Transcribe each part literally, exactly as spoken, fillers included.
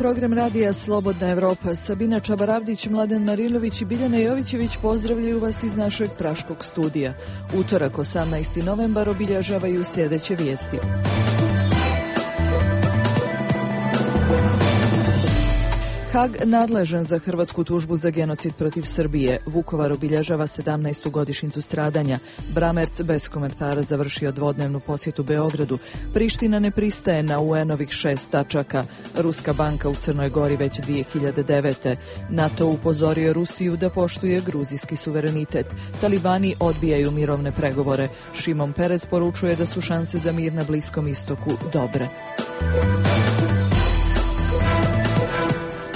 program radija Slobodna Evropa. Sabina Čabaravdić, Mladen Marilović i Biljana Jovićević pozdravljaju vas iz našeg praškog studija. Utorak, osamnaesti novembar, obilježavaju sljedeće vijesti. Hag nadležan za hrvatsku tužbu za genocid protiv Srbije. Vukovar obilježava sedamnaestu godišnjicu stradanja. Bramerc bez komentara završio dvodnevnu posjetu Beogradu. Priština ne pristaje na U N-ovih šest tačaka. Ruska banka u Crnoj Gori već dvije hiljade devete. NATO upozorio Rusiju da poštuje gruzijski suverenitet. Talibani odbijaju mirovne pregovore. Šimon Perez poručuje da su šanse za mir na Bliskom istoku dobre.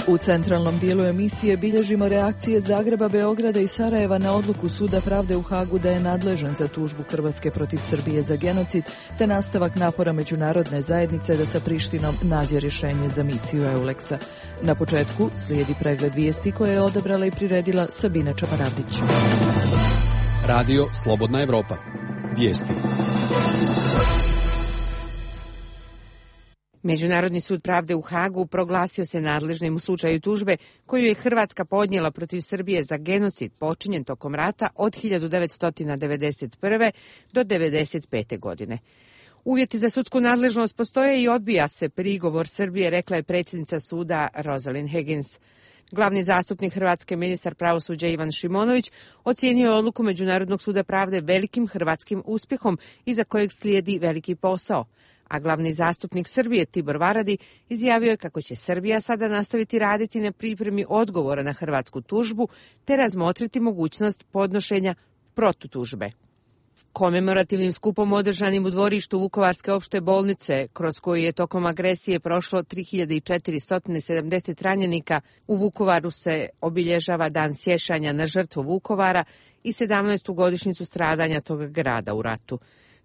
U centralnom dijelu emisije bilježimo reakcije Zagreba, Beograda i Sarajeva na odluku Suda pravde u Hagu da je nadležan za tužbu Hrvatske protiv Srbije za genocid, te nastavak napora međunarodne zajednice da sa Prištinom nađe rješenje za misiju Euleksa. Na početku slijedi pregled vijesti koje je odabrala i priredila Sabina Čabaravdić. Radio Slobodna Evropa. Vijesti. Međunarodni sud pravde u Hagu proglasio se nadležnim u slučaju tužbe koju je Hrvatska podnijela protiv Srbije za genocid počinjen tokom rata od hiljadu devetsto devedeset prve do devedeset pete. godine. Uvjeti za sudsku nadležnost postoje i odbija se prigovor Srbije, rekla je predsjednica suda Rosalind Higgins. Glavni zastupnik Hrvatske, ministar pravosuđa Ivan Šimonović, ocijenio je odluku Međunarodnog suda pravde velikim hrvatskim uspjehom iza kojeg slijedi veliki posao. A glavni zastupnik Srbije Tibor Varadi izjavio je kako će Srbija sada nastaviti raditi na pripremi odgovora na hrvatsku tužbu te razmotriti mogućnost podnošenja protutužbe. Komemorativnim skupom održanim u dvorištu Vukovarske opšte bolnice, kroz koju je tokom agresije prošlo tri hiljade četiristo sedamdeset ranjenika, u Vukovaru se obilježava dan sjećanja na žrtvu Vukovara i sedamnaestu godišnjicu stradanja tog grada u ratu.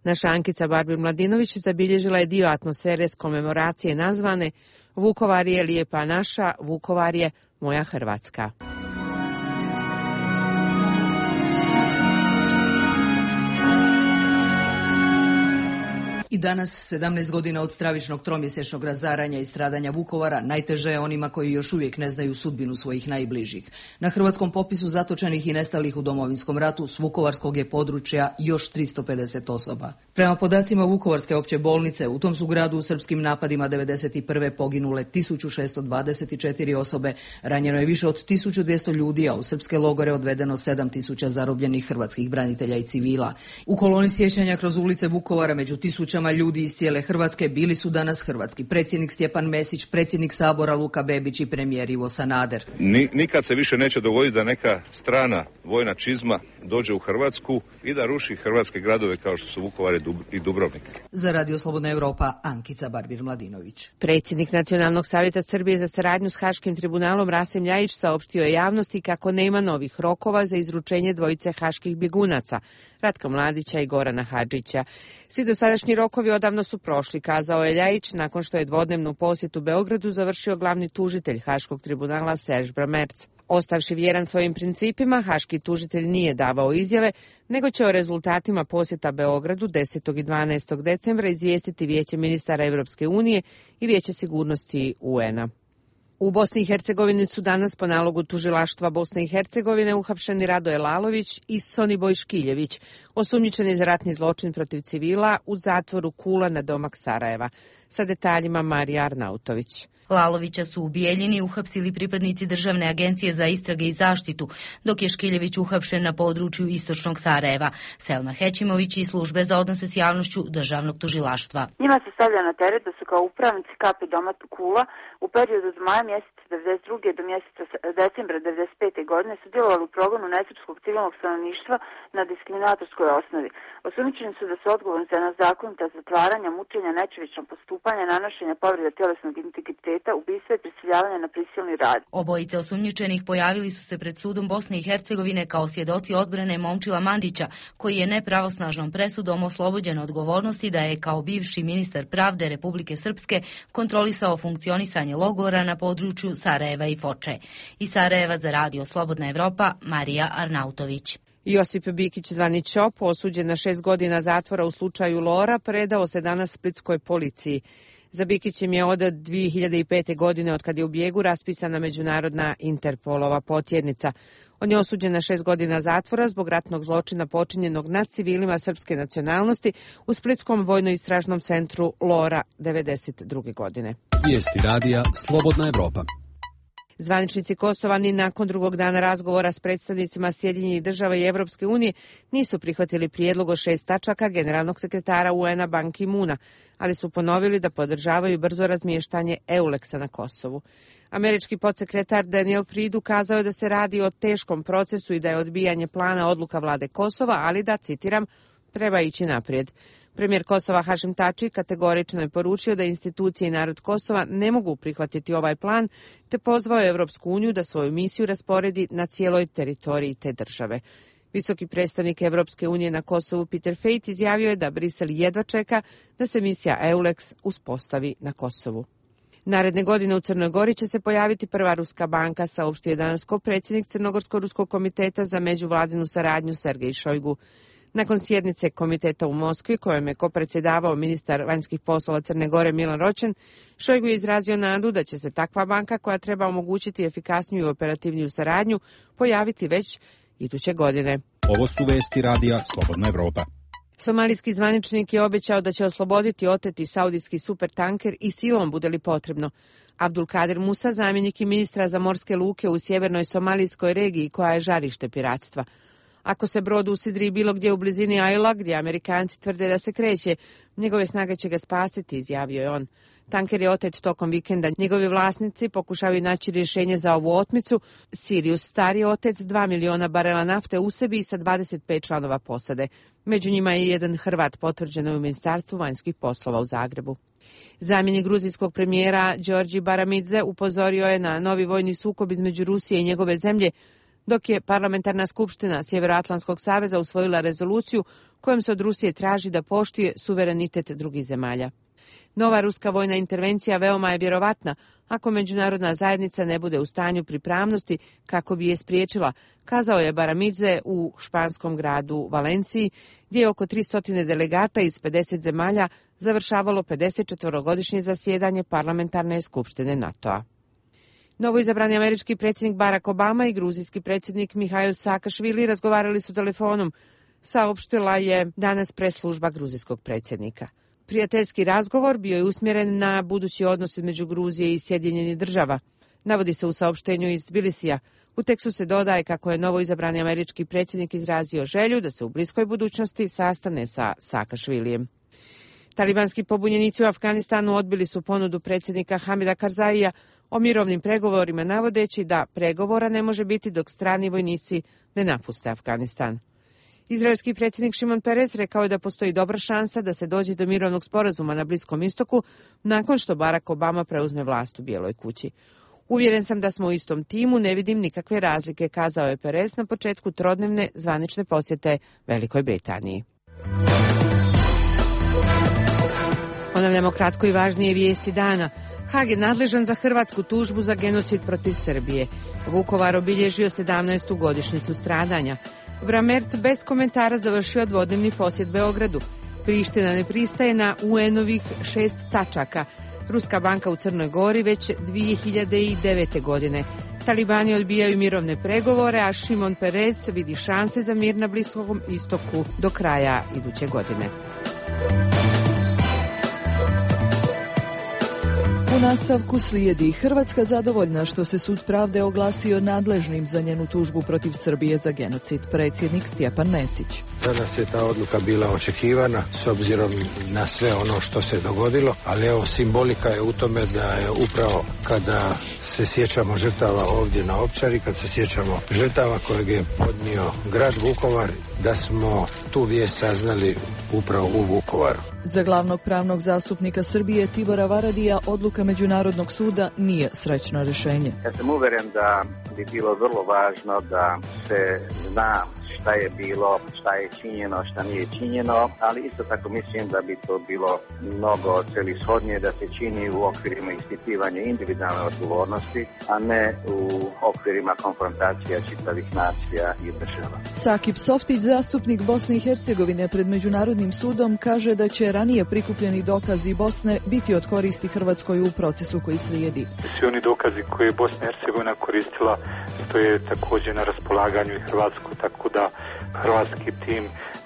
Naša Ankica Barbir-Mladinović zabilježila je dio atmosfere s komemoracije nazvane Vukovar je lijepa naša, Vukovar je moja Hrvatska. I danas, sedamnaest godina od stravičnog tromjesečnog razaranja i stradanja Vukovara, najteže je onima koji još uvijek ne znaju sudbinu svojih najbližih. Na hrvatskom popisu zatočenih i nestalih u Domovinskom ratu s vukovarskog je područja još tristo pedeset osoba. Prema podacima Vukovarske opće bolnice, u tom su gradu u srpskim napadima devedeset prve poginule tisuću šesto dvadeset četiri osobe, ranjeno je više od tisuću dvjesto ljudi, a u srpske logore odvedeno sedam tisuća zarobljenih hrvatskih branitelja i civila. U koloni sjećanja kroz ulice Vukovara među tisućama ljudi iz cijele Hrvatske bili su danas hrvatski predsjednik Stjepan Mesić, predsjednik Sabora Luka Bebić i premijer Ivo Sanader. Ni, nikad se više neće dogoditi da neka strana vojna čizma dođe u Hrvatsku i da ruši hrvatske gradove kao što su Vukovar i Dubrovnik. Za Radio Slobodna Evropa, Ankica Barbir-Mladinović. Predsjednik Nacionalnog savjeta Srbije za saradnju s Haškim tribunalom Rasim Ljajić saopštio je javnosti kako nema novih rokova za izručenje dvojice haških bjegunaca, Ratka Mladića i Gorana Hadžića. Svi dosadašnji rokovi odavno su prošli, kazao je Ljajić nakon što je dvodnevnu posjetu Beogradu završio glavni tužitelj Haškog tribunala Serž Bramerc. Ostavši vjeran svojim principima, haški tužitelj nije davao izjave, nego će o rezultatima posjeta Beogradu desetog i dvanaestog decembra izvijestiti Vijeće ministara Europske unije i Vijeće sigurnosti U N-a. U Bosni i Hercegovini su danas po nalogu tužilaštva Bosne i Hercegovine uhapšeni Radoje Lalović i Soniboj Škiljević, osumnjičeni za ratni zločin protiv civila u zatvoru Kula na domak Sarajeva. Sa detaljima Marija Arnautović. Lalovića su u Bijeljini uhapsili pripadnici Državne agencije za istrage i zaštitu, dok je Škiljević uhapšen na području istočnog Sarajeva. Selma Hećimović iz službe za odnose s javnošću Državnog tužilaštva. Njima se stavlja na teret da su kao upravnici K P doma Kula u periodu od maja mjeseca devedeset druge do mjeseca decembra devedeset pete. godine sudjelovali u progonu nesrpskog civilnog stanovništva na diskriminatorskoj osnovi. Osumnjičeni su da su odgovorni za nezakonita zatvaranja, mučenja, nečovječna postupanja, nanošenja povreda tjelesnog integriteta, ubistva i prisiljavanja na prisilni rad. Obojice osumnjičenih pojavili su se pred sudom Bosne i Hercegovine kao svjedoci odbrane Momčila Mandića, koji je nepravosnažnom presudom oslobođen odgovornosti da je kao bivši ministar pravde Republike Srpske kontrolisao funkcionisanje logora na području Sarajeva i Foče. Iz Sarajeva za Radio Slobodna Evropa, Marija Arnautović. Josip Bikić, zvani Ćop, osuđen na šest godina zatvora u slučaju Lora, predao se danas splitskoj policiji. Za Bikićem je od dvije hiljade pete. godine, od kad je u bijegu, raspisana međunarodna Interpolova potjednica. On je osuđen na šest godina zatvora zbog ratnog zločina počinjenog nad civilima srpske nacionalnosti u Splitskom vojno-istražnom centru Lora devedeset druge. godine. Vijesti radija Slobodna Evropa. Zvaničnici Kosova ni nakon drugog dana razgovora s predstavnicima Sjedinjenih država i Evropske unije nisu prihvatili prijedlog od šest tačaka generalnog sekretara U N-a Ban Ki-moona, ali su ponovili da podržavaju brzo razmještanje EULEX-a na Kosovu. Američki podsekretar Daniel Fried ukazao je da se radi o teškom procesu i da je odbijanje plana odluka vlade Kosova, ali da, citiram, treba ići naprijed. Premijer Kosova Hašim Tači kategorično je poručio da institucije i narod Kosova ne mogu prihvatiti ovaj plan, te pozvao je Evropsku uniju da svoju misiju rasporedi na cijeloj teritoriji te države. Visoki predstavnik Evropske unije na Kosovu Peter Fejt izjavio je da Brisel jedva čeka da se misija EULEX uspostavi na Kosovu. Naredne godine u Crnoj Gori će se pojaviti prva ruska banka, saopštio je danas predsjednik Crnogorsko-ruskog komiteta za međuvladinu saradnju Sergej Šojgu. Nakon sjednice komiteta u Moskvi, kojom je kopredsjedavao ministar vanjskih poslova Crne Gore Milan Ročen, Šojgu je izrazio nadu da će se takva banka, koja treba omogućiti efikasniju i operativniju saradnju, pojaviti već iduće godine. Ovo su vesti radija Slobodna Evropa. Somalijski zvaničnik je obećao da će osloboditi oteti saudijski supertanker i silom bude li potrebno. Abdul Kadir Musa, zamjenik i ministra za morske luke u sjevernoj somalijskoj regiji, koja je žarište piratstva. Ako se brod usidri bilo gdje u blizini Ajla, gdje Amerikanci tvrde da se kreće, njegove snage će ga spasiti, izjavio je on. Tanker je otet tokom vikenda. Njegovi vlasnici pokušavaju naći rješenje za ovu otmicu. Sirius Star je otec dva miliona barela nafte u sebi i sa dvadeset pet članova posade. Među njima je jedan Hrvat, potvrđeno u Ministarstvu vanjskih poslova u Zagrebu. Zamjenik gruzijskog premijera Đorđi Baramidze upozorio je na novi vojni sukob između Rusije i njegove zemlje, dok je parlamentarna skupština Sjevernoatlantskog saveza usvojila rezoluciju kojom se od Rusije traži da poštuje suverenitet drugih zemalja. Nova ruska vojna intervencija veoma je vjerovatna ako međunarodna zajednica ne bude u stanju pripravnosti kako bi je spriječila, kazao je Baramidze u španskom gradu Valenciji, gdje je oko tristo delegata iz pedeset zemalja završavalo pedesetčetvorogodišnje zasjedanje parlamentarne skupštine NATO-a. Novoizabrani američki predsjednik Barack Obama i gruzijski predsjednik Mihail Saakašvili razgovarali su telefonom, saopštila je danas press-služba gruzijskog predsjednika. Prijateljski razgovor bio je usmjeren na budući odnos između Gruzije i Sjedinjenih država. Navodi se u saopštenju iz Tbilisija. U tekstu se dodaje kako je novoizabrani američki predsjednik izrazio želju da se u bliskoj budućnosti sastane sa Saakašvilijem. Talibanski pobunjenici u Afganistanu odbili su ponudu predsjednika Hamida Karzaija o mirovnim pregovorima, navodeći da pregovora ne može biti dok strani vojnici ne napuste Afganistan. Izraelski predsjednik Šimon Peres rekao je da postoji dobra šansa da se dođe do mirovnog sporazuma na Bliskom istoku nakon što Barack Obama preuzme vlast u Bijeloj kući. Uvjeren sam da smo u istom timu, ne vidim nikakve razlike, kazao je Peres na početku trodnevne zvanične posjete Velikoj Britaniji. Ponavljamo kratko i važnije vijesti dana. Hag je nadležan za hrvatsku tužbu za genocid protiv Srbije. Vukovar obilježio sedamnaestu godišnjicu stradanja. Bramerc bez komentara završio dvodnevni posjet Beogradu. Priština ne pristaje na U N-ovih šest tačaka. Ruska banka u Crnoj Gori već dvije hiljade devete. godine. Talibani odbijaju mirovne pregovore, a Šimon Peres vidi šanse za mir na Bliskom istoku do kraja iduće godine. U nastavku slijedi Hrvatska zadovoljna što se sud pravde oglasio nadležnim za njenu tužbu protiv Srbije za genocid. Predsjednik Stjepan Mesić. Za nas je ta odluka bila očekivana s obzirom na sve ono što se dogodilo, ali evo simbolika je u tome da je upravo kada se sjećamo žrtava ovdje na Ovčari, kad se sjećamo žrtava kojeg je podnio grad Vukovar, da smo tu vijest saznali upravo u Vukovaru. Za glavnog pravnog zastupnika Srbije Tibora Varadija odluka Međunarodnog suda nije srećno rješenje. Ja sam uvjeren da bi bilo vrlo važno da se zna šta je bilo, šta je činjeno, šta nije činjeno, ali isto tako mislim da bi to bilo mnogo celishodnije da se čini u okvirima ispitivanja individualne odgovornosti, a ne u okvirima konfrontacija čitavih nacija i država. Sakip Softić, zastupnik Bosne i Hercegovine pred Međunarodnim sudom, kaže da će ranije prikupljeni dokazi Bosne biti od koristi Hrvatskoj u procesu koji slijedi. Svi oni dokazi koje je Bosna i Hercegovina koristila stoje također na raspolaganju i Hrvatsku, tako da hrvatski tim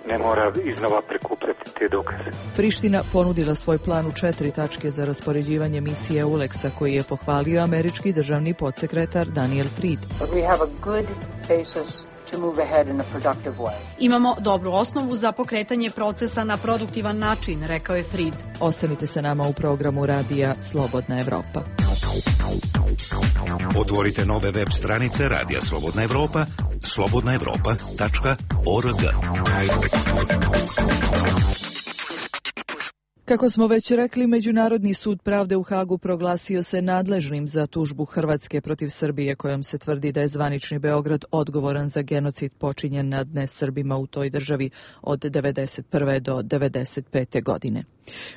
ne mora iznova prikupljati te dokaze. Priština ponudila svoj plan u četiri tačke za raspoređivanje misije Euleksa, koji je pohvalio američki državni podsekretar Daniel Fried. Imamo dobru osnovu za pokretanje procesa na produktivan način, rekao je Fried. Ostanite sa nama u programu radija Slobodna Evropa. Otvorite nove web stranice Radija Slobodna Evropa, slobodna evropa tačka org. Kako smo već rekli, Međunarodni sud pravde u Hagu proglasio se nadležnim za tužbu Hrvatske protiv Srbije, kojom se tvrdi da je zvanični Beograd odgovoran za genocid počinjen nad nesrbima u toj državi od devedeset prve do devedeset pete godine.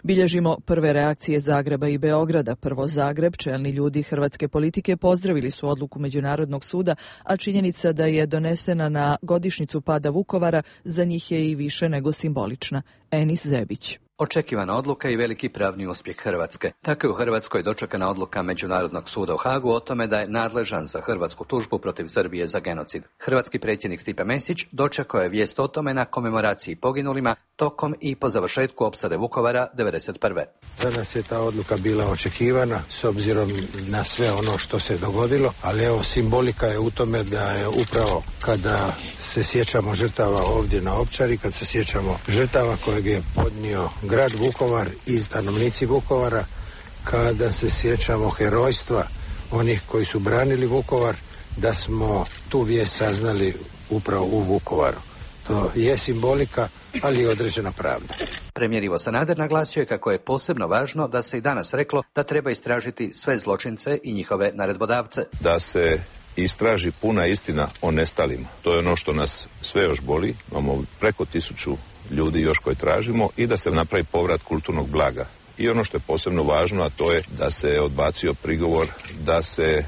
Bilježimo prve reakcije Zagreba i Beograda. Prvo Zagreb, čelni ljudi hrvatske politike pozdravili su odluku Međunarodnog suda, a činjenica da je donesena na godišnjicu pada Vukovara za njih je i više nego simbolična. Enis Zebić. Očekivana odluka i veliki pravni uspjeh Hrvatske. Tako je u Hrvatskoj dočekana odluka Međunarodnog suda u Hagu o tome da je nadležan za hrvatsku tužbu protiv Srbije za genocid. Hrvatski predsjednik Stipe Mesić dočekao je vijest o tome na komemoraciji poginulima tokom i po završetku opsade Vukovara devedeset prve. Danas je ta odluka bila očekivana s obzirom na sve ono što se dogodilo, ali evo simbolika je u tome da je upravo kada se sjećamo žrtava ovdje na Ovčari, kad se sjećamo žrtava kojeg je podnio grad Vukovar i stanovnici Vukovara, kada se sjećamo herojstva onih koji su branili Vukovar, da smo tu vijest saznali upravo u Vukovaru. To je simbolika, ali i određena pravda. Premijer Ivo Sanader naglasio je kako je posebno važno da se i danas reklo da treba istražiti sve zločince i njihove naredbodavce. Da se istraži puna istina o nestalima. To je ono što nas sve još boli. Imamo preko tisuću ljudi još koje tražimo i da se napravi povrat kulturnog blaga. I ono što je posebno važno, a to je da se odbacio prigovor da se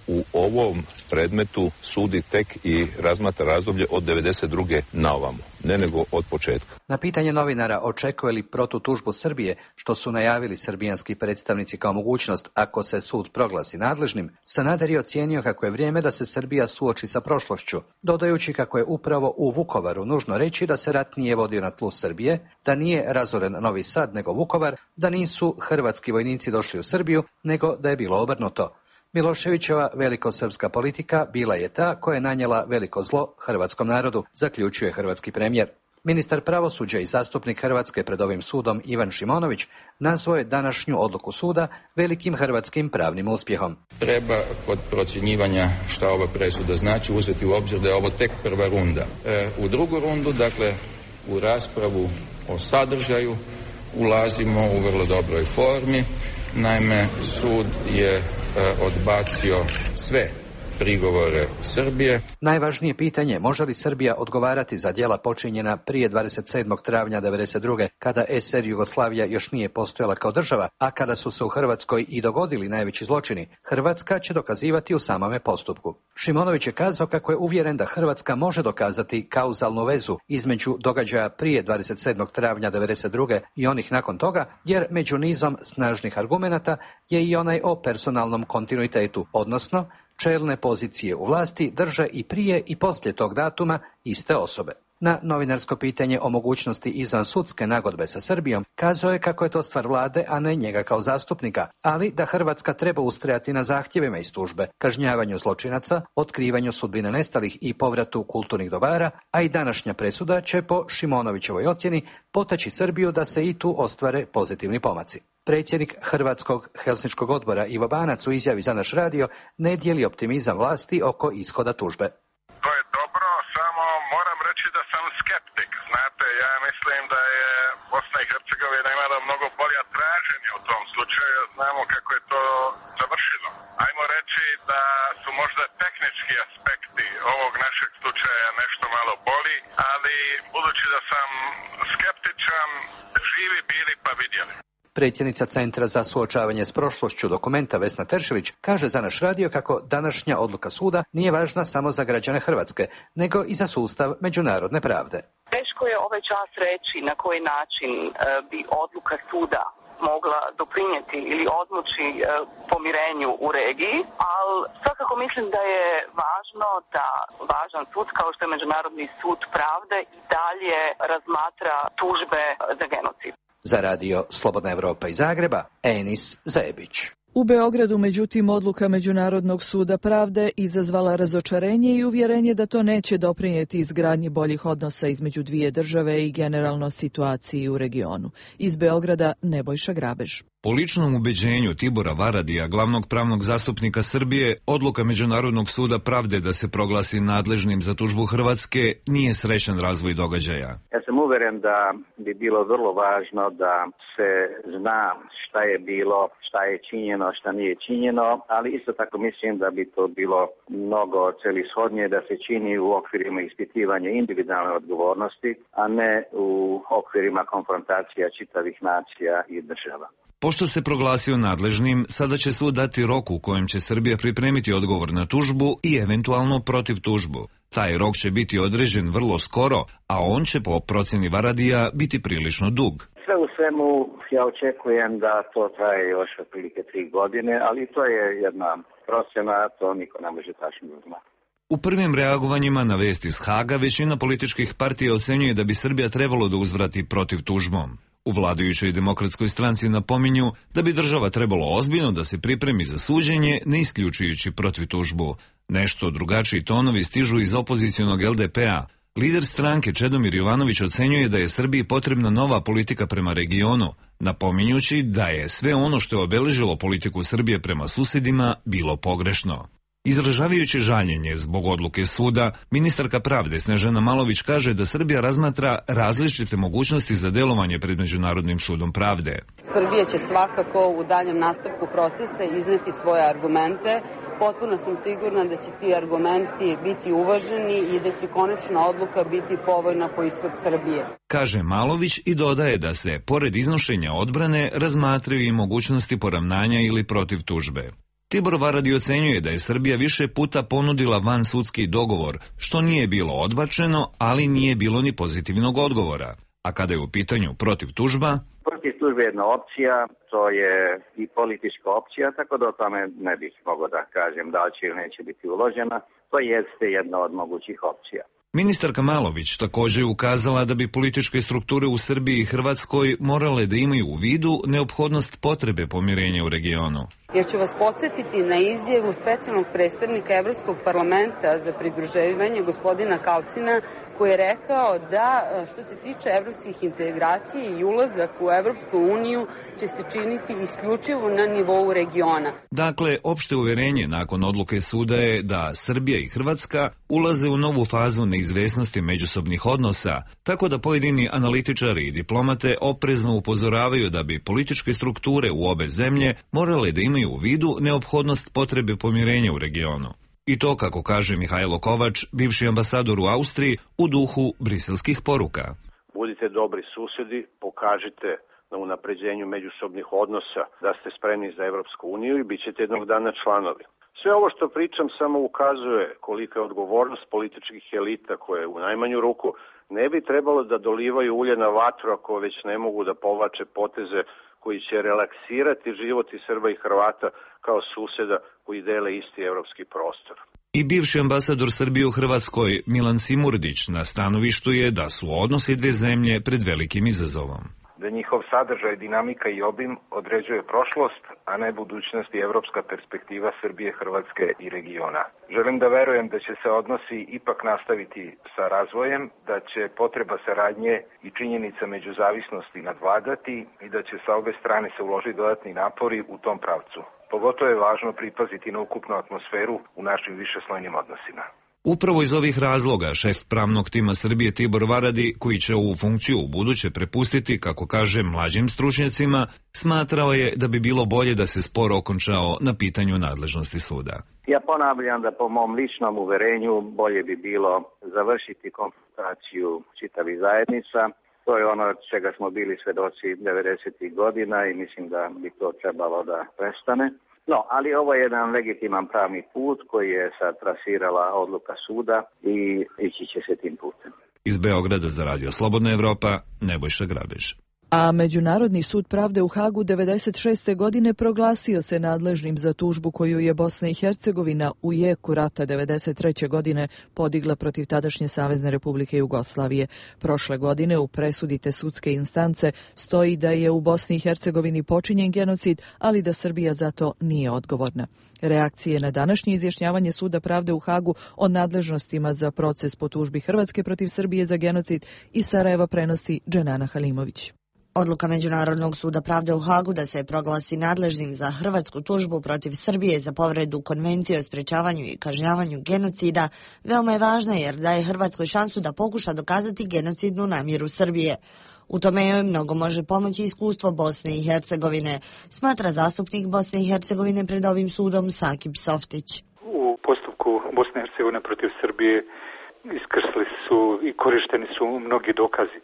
u ovom predmetu sudi tek i razmatra razdoblje od devedeset druge na ovamo, ne nego od početka. Na pitanje novinara očekuje li protutužbu Srbije, što su najavili srbijanski predstavnici kao mogućnost ako se sud proglasi nadležnim, Sanader je ocijenio kako je vrijeme da se Srbija suoči sa prošlošću, dodajući kako je upravo u Vukovaru nužno reći da se rat nije vodio na tlu Srbije, da nije razoren Novi Sad nego Vukovar, da nisu hrvatski vojnici došli u Srbiju, nego da je bilo obrnuto. Miloševićeva velikosrpska politika bila je ta koja je nanijela veliko zlo hrvatskom narodu, zaključuje hrvatski premijer. Ministar pravosuđa i zastupnik Hrvatske pred ovim sudom Ivan Šimonović nazvao je današnju odluku suda velikim hrvatskim pravnim uspjehom. Treba kod procjenjivanja šta ova presuda znači uzeti u obzir da je ovo tek prva runda. E, u drugu rundu, dakle u raspravu o sadržaju, ulazimo u vrlo dobroj formi. Naime, sud je odbacio sve prigovore Srbije. Najvažnije pitanje, može li Srbija odgovarati za djela počinjena prije dvadeset sedmog travnja devedeset druge kada es er Jugoslavija još nije postojala kao država, a kada su se u Hrvatskoj i dogodili najveći zločini, Hrvatska će dokazivati u samome postupku. Šimonović je kazao kako je uvjeren da Hrvatska može dokazati kauzalnu vezu između događaja prije dvadeset sedmog travnja devedeset druge i onih nakon toga, jer među nizom snažnih argumenata je i onaj o personalnom kontinuitetu, odnosno čelne pozicije u vlasti drže i prije i poslije tog datuma iste osobe. Na novinarsko pitanje o mogućnosti izvansudske nagodbe sa Srbijom kazao je kako je to stvar vlade, a ne njega kao zastupnika, ali da Hrvatska treba ustrajati na zahtjevima iz tužbe, kažnjavanju zločinaca, otkrivanju sudbine nestalih i povratu kulturnih dobara, a i današnja presuda će po Šimonovićevoj ocjeni potaći Srbiju da se i tu ostvare pozitivni pomaci. Predsjednik Hrvatskog helsinškog odbora Ivo Banac u izjavi za naš radio ne dijeli optimizam vlasti oko ishoda tužbe. To je dobro, samo moram reći budući da sam skeptik, znate, ja mislim da je Bosna i Hercegovina imala mnogo bolja traženja u tom slučaju, znamo kako je to završilo. Ajmo reći da su možda tehnički aspekti ovog našeg slučaja nešto malo boli, ali budući da sam skeptičan, živi bili pa vidjeli. Predsjednica Centra za suočavanje s prošlošću Dokumenta Vesna Teršević kaže za naš radio kako današnja odluka suda nije važna samo za građane Hrvatske, nego i za sustav međunarodne pravde. Teško je ovaj čas reći na koji način bi odluka suda mogla doprinijeti ili odmoći pomirenju u regiji, ali svakako mislim da je važno da važan sud kao što je Međunarodni sud pravde i dalje razmatra tužbe za genocid. Za radio Slobodna Evropa iz Zagreba, Enis Zebić. U Beogradu, međutim, odluka Međunarodnog suda pravde izazvala razočarenje i uvjerenje da to neće doprinijeti izgradnji boljih odnosa između dvije države i generalno situaciji u regionu. Iz Beograda Nebojša Grabež. Po ličnom ubeđenju Tibora Varadija, glavnog pravnog zastupnika Srbije, odluka Međunarodnog suda pravde da se proglasi nadležnim za tužbu Hrvatske nije srećan razvoj događaja. Ja sam uveren da bi bilo vrlo važno da se zna šta je bilo, šta je činjeno, šta nije činjeno, ali isto tako mislim da bi to bilo mnogo celishodnije da se čini u okvirima ispitivanja individualne odgovornosti, a ne u okvirima konfrontacija čitavih nacija i država. Pošto se proglasio nadležnim, sada će sud dati rok u kojem će Srbija pripremiti odgovor na tužbu i eventualno protiv tužbu. Taj rok će biti određen vrlo skoro, a on će po procjeni Varadija biti prilično dug. Sve u svemu ja očekujem da to traje još otprilike tri godine, ali to je jedna procjena, to niko ne može tačno znati. U prvim reagovanjima na vesti iz Haga većina političkih partija ocenjuje da bi Srbija trebalo da uzvrati protiv tužbom. U vladajućoj demokratskoj stranci napominju da bi država trebalo ozbiljno da se pripremi za suđenje, ne isključujući protiv tužbu. Nešto drugačiji tonovi stižu iz opozicionog L D P-a. Lider stranke Čedomir Jovanović ocenjuje da je Srbiji potrebna nova politika prema regionu, napominjući da je sve ono što je obeležilo politiku Srbije prema susedima bilo pogrešno. Izražavajući žaljenje zbog odluke suda, ministarka pravde Snežana Malović kaže da Srbija razmatra različite mogućnosti za delovanje pred Međunarodnim sudom pravde. Srbija će svakako u daljem nastavku procesa izneti svoje argumente. Potpuno sam sigurna da će ti argumenti biti uvaženi i da će konačna odluka biti povoljna po ishod Srbije. Kaže Malović i dodaje da se, pored iznošenja odbrane, razmatraju i mogućnosti poravnanja ili protiv tužbe. Tibor Varadi ocenjuje da je Srbija više puta ponudila vansudski dogovor, što nije bilo odbačeno, ali nije bilo ni pozitivnog odgovora. A kada je u pitanju protiv tužba... Protiv tužbe je jedna opcija, to je i politička opcija, tako da o tome ne bih mogao da kažem da li će ili neće biti uložena. To jeste jedna od mogućih opcija. Ministarka Malović također je ukazala da bi političke strukture u Srbiji i Hrvatskoj morale da imaju u vidu neophodnost potrebe pomirenja u regionu. Jer ću vas podsjetiti na izjavu specijalnog predstavnika Evropskog parlamenta za pridruživanje gospodina Kalcina, koji je rekao da što se tiče evropskih integracija i ulazak u Evropsku uniju će se činiti isključivo na nivou regiona. Dakle, opšte uverenje nakon odluke suda je da Srbija i Hrvatska ulaze u novu fazu neizvesnosti međusobnih odnosa, tako da pojedini analitičari i diplomate oprezno upozoravaju da bi političke strukture u obe zemlje morale da imaju u vidu neophodnost potrebe pomirenja u regionu. I to, kako kaže Mihajlo Kovač, bivši ambasador u Austriji, u duhu briselskih poruka. Budite dobri susjedi, pokažite na unapređenju međusobnih odnosa da ste spremni za Evropsku uniju i bit ćete jednog dana članovi. Sve ovo što pričam samo ukazuje kolika je odgovornost političkih elita koje u najmanju ruku ne bi trebalo da dolivaju ulje na vatru ako već ne mogu da povlače poteze koji će relaksirati život i Srba i Hrvata kao susjeda koji dele isti evropski prostor. I bivši ambasador Srbije u Hrvatskoj Milan Simurdić na stanovištu je da su odnosi dve zemlje pred velikim izazovom. Da njihov sadržaj, dinamika i obim određuje prošlost, a ne budućnost i evropska perspektiva Srbije, Hrvatske i regiona. Želim da verujem da će se odnosi ipak nastaviti sa razvojem, da će potreba saradnje i činjenica međuzavisnosti nadvladati i da će sa obe strane se uložiti dodatni napori u tom pravcu. Pogotovo je važno pripaziti na ukupnu atmosferu u našim višeslojnim odnosima. Upravo iz ovih razloga šef pravnog tima Srbije Tibor Varadi, koji će ovu funkciju u buduće prepustiti, kako kaže, mlađim stručnjacima, smatrao je da bi bilo bolje da se spor okončao na pitanju nadležnosti suda. Ja ponavljam da po mom ličnom uverenju bolje bi bilo završiti konfrontaciju čitavih zajednica. To je ono čega smo bili svedoci devedesetih godina i mislim da bi to trebalo da prestane. No, ali ovo je jedan legitiman pravni put koji je sad trasirala odluka suda i ići će se tim putem. Iz Beograda za Radio Slobodna Evropa, Nebojša Grabež. A Međunarodni sud pravde u Hagu devedeset šeste. godine proglasio se nadležnim za tužbu koju je Bosna i Hercegovina u jeku rata devedeset treće. godine podigla protiv tadašnje Savezne Republike Jugoslavije. Prošle godine u presudi te sudske instance stoji da je u Bosni i Hercegovini počinjen genocid, ali da Srbija za to nije odgovorna. Reakcije na današnje izjašnjavanje Suda pravde u Hagu o nadležnostima za proces po tužbi Hrvatske protiv Srbije za genocid iz Sarajeva prenosi Dženana Halimović. Odluka Međunarodnog suda pravde u Hagu da se proglasi nadležnim za hrvatsku tužbu protiv Srbije za povredu Konvencije o sprečavanju i kažnjavanju genocida veoma je važna jer daje Hrvatskoj šansu da pokuša dokazati genocidnu namjeru Srbije. U tome joj mnogo može pomoći iskustvo Bosne i Hercegovine, smatra zastupnik Bosne i Hercegovine pred ovim sudom Sakib Softić. U postupku Bosne i Hercegovine protiv Srbije iskrsli su i korišteni su mnogi dokazi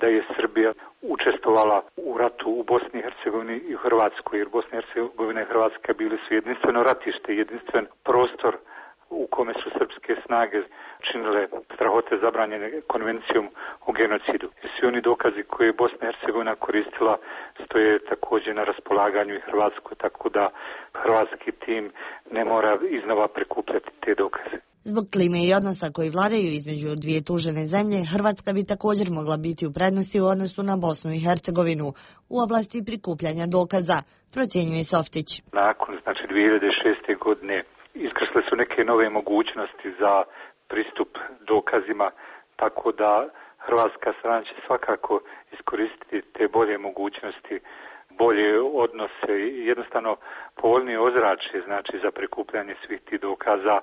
da je Srbija učestvovala u ratu u Bosni i Hercegovini i u Hrvatskoj, jer Bosna i Hercegovina i Hrvatska bili su jedinstveno ratište, jedinstven prostor u kome su srpske snage činile strahote zabranjene konvencijom o genocidu. I svi oni dokazi koje je Bosna i Hercegovina koristila stoje također na raspolaganju i Hrvatskoj, tako da hrvatski tim ne mora iznova prikupljati te dokaze. Zbog klime i odnosa koji vladaju između dvije tužene zemlje, Hrvatska bi također mogla biti u prednosti u odnosu na Bosnu i Hercegovinu u oblasti prikupljanja dokaza, procjenjuje Softić. Nakon znači dvije hiljade šeste. godine iskrsle su neke nove mogućnosti za pristup dokazima, tako da hrvatska strana će svakako iskoristiti te bolje mogućnosti, bolje odnose i jednostavno povoljnije ozračje znači za prikupljanje svih tih dokaza,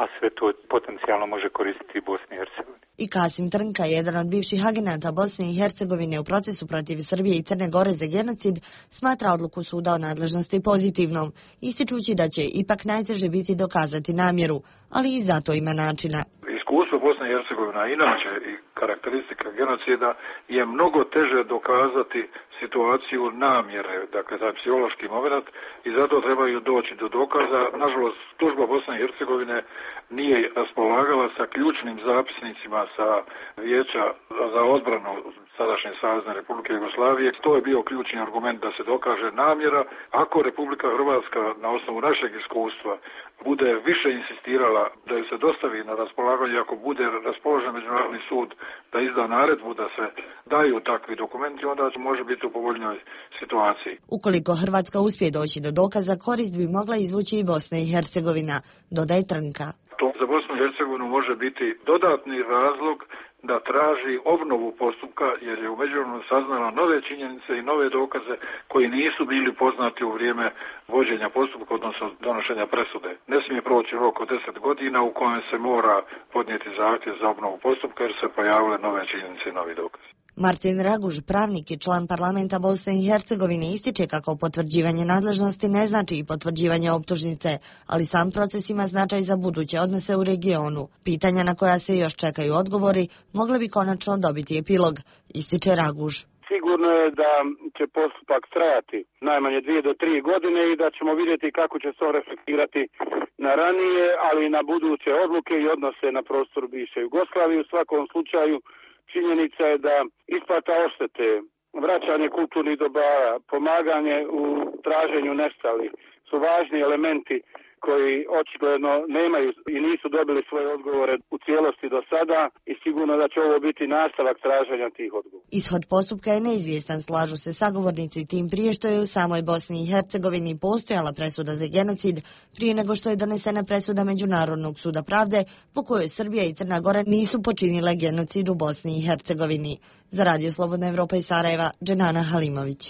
a sve to potencijalno može koristiti i Bosni i Hercegovini. I Kasim Trnka, jedan od bivših agenata Bosne i Hercegovine u procesu protiv Srbije i Crne Gore za genocid, smatra odluku suda o nadležnosti pozitivnom, ističući da će ipak najteže biti dokazati namjeru, ali i zato ima načina. Iskustvo Bosne i Hercegovina, inače i karakteristika genocida, je mnogo teže dokazati situaciju namjere, dakle taj psihološki moment, i zato trebaju doći do dokaza. Nažalost, tužba Bosne i Hercegovine nije raspolagala sa ključnim zapisnicima sa Vijeća za odbranu sadašnje Savezne Republike Jugoslavije. To je bio ključni argument da se dokaže namjera. Ako Republika Hrvatska na osnovu našeg iskustva bude više insistirala da ju se dostavi na raspolaganje, ako bude raspoložen Međunarodni sud da izda naredbu da se daju takvi dokumenti, onda može biti u povoljnoj situaciji. Ukoliko Hrvatska uspije doći do dokaza, korist bi mogla izvući i Bosna i Hercegovina, dodaje Trnka. To za Bosnu i Hercegovinu može biti dodatni razlog da traži obnovu postupka, jer je u međuvremenu saznala nove činjenice i nove dokaze koji nisu bili poznati u vrijeme vođenja postupka, odnosno donošenja presude. Ne smije proći rok od deset godina u kojem se mora podnijeti zahtjev za obnovu postupka jer se pojavile nove činjenice i novi dokazi. Martin Raguž, pravnik i član parlamenta Bosne i Hercegovine, ističe kako potvrđivanje nadležnosti ne znači i potvrđivanje optužnice, ali sam proces ima značaj za buduće odnose u regionu. Pitanja na koja se još čekaju odgovori mogli bi konačno dobiti epilog, ističe Raguž. Sigurno je da će postupak trajati najmanje dvije do tri godine i da ćemo vidjeti kako će se on reflektirati na ranije, ali i na buduće odluke i odnose na prostoru bivše Jugoslavije. U svakom slučaju činjenica je da isplata odštete, vraćanje kulturnih dobara, pomaganje u traženju nestalih su važni elementi koji očigledno nemaju i nisu dobili svoje odgovore u cijelosti do sada i sigurno da će ovo biti nastavak traženja tih odgovora. Ishod postupka je neizvjestan, slažu se sagovornici, tim prije što je u samoj Bosni i Hercegovini postojala presuda za genocid prije nego što je donesena presuda Međunarodnog suda pravde po kojoj Srbija i Crna Gora nisu počinile genocid u Bosni i Hercegovini. Za Radio Slobodna Evropa iz Sarajeva, Dženana Halimović.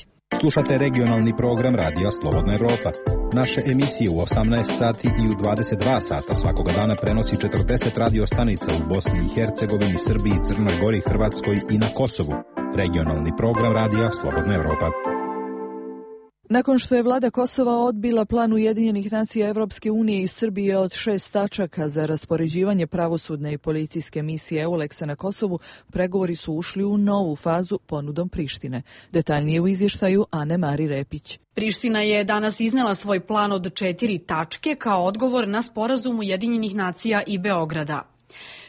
Slušate regionalni program Radija Slobodna Evropa. Naše emisije u osamnaest sati i u dvadeset dva sata svakoga dana prenosi četrdeset radio stanica u Bosni i Hercegovini, Srbiji, Crnoj Gori, Hrvatskoj i na Kosovu. Regionalni program radija Slobodna Evropa. Nakon što je vlada Kosova odbila plan Ujedinjenih nacija Evropske unije i Srbije od šest tačaka za raspoređivanje pravosudne i policijske misije EULEX-a na Kosovu, pregovori su ušli u novu fazu ponudom Prištine. Detaljnije u izvještaju Ane Mari Repić. Priština je danas iznela svoj plan od četiri tačke kao odgovor na sporazum Ujedinjenih nacija i Beograda.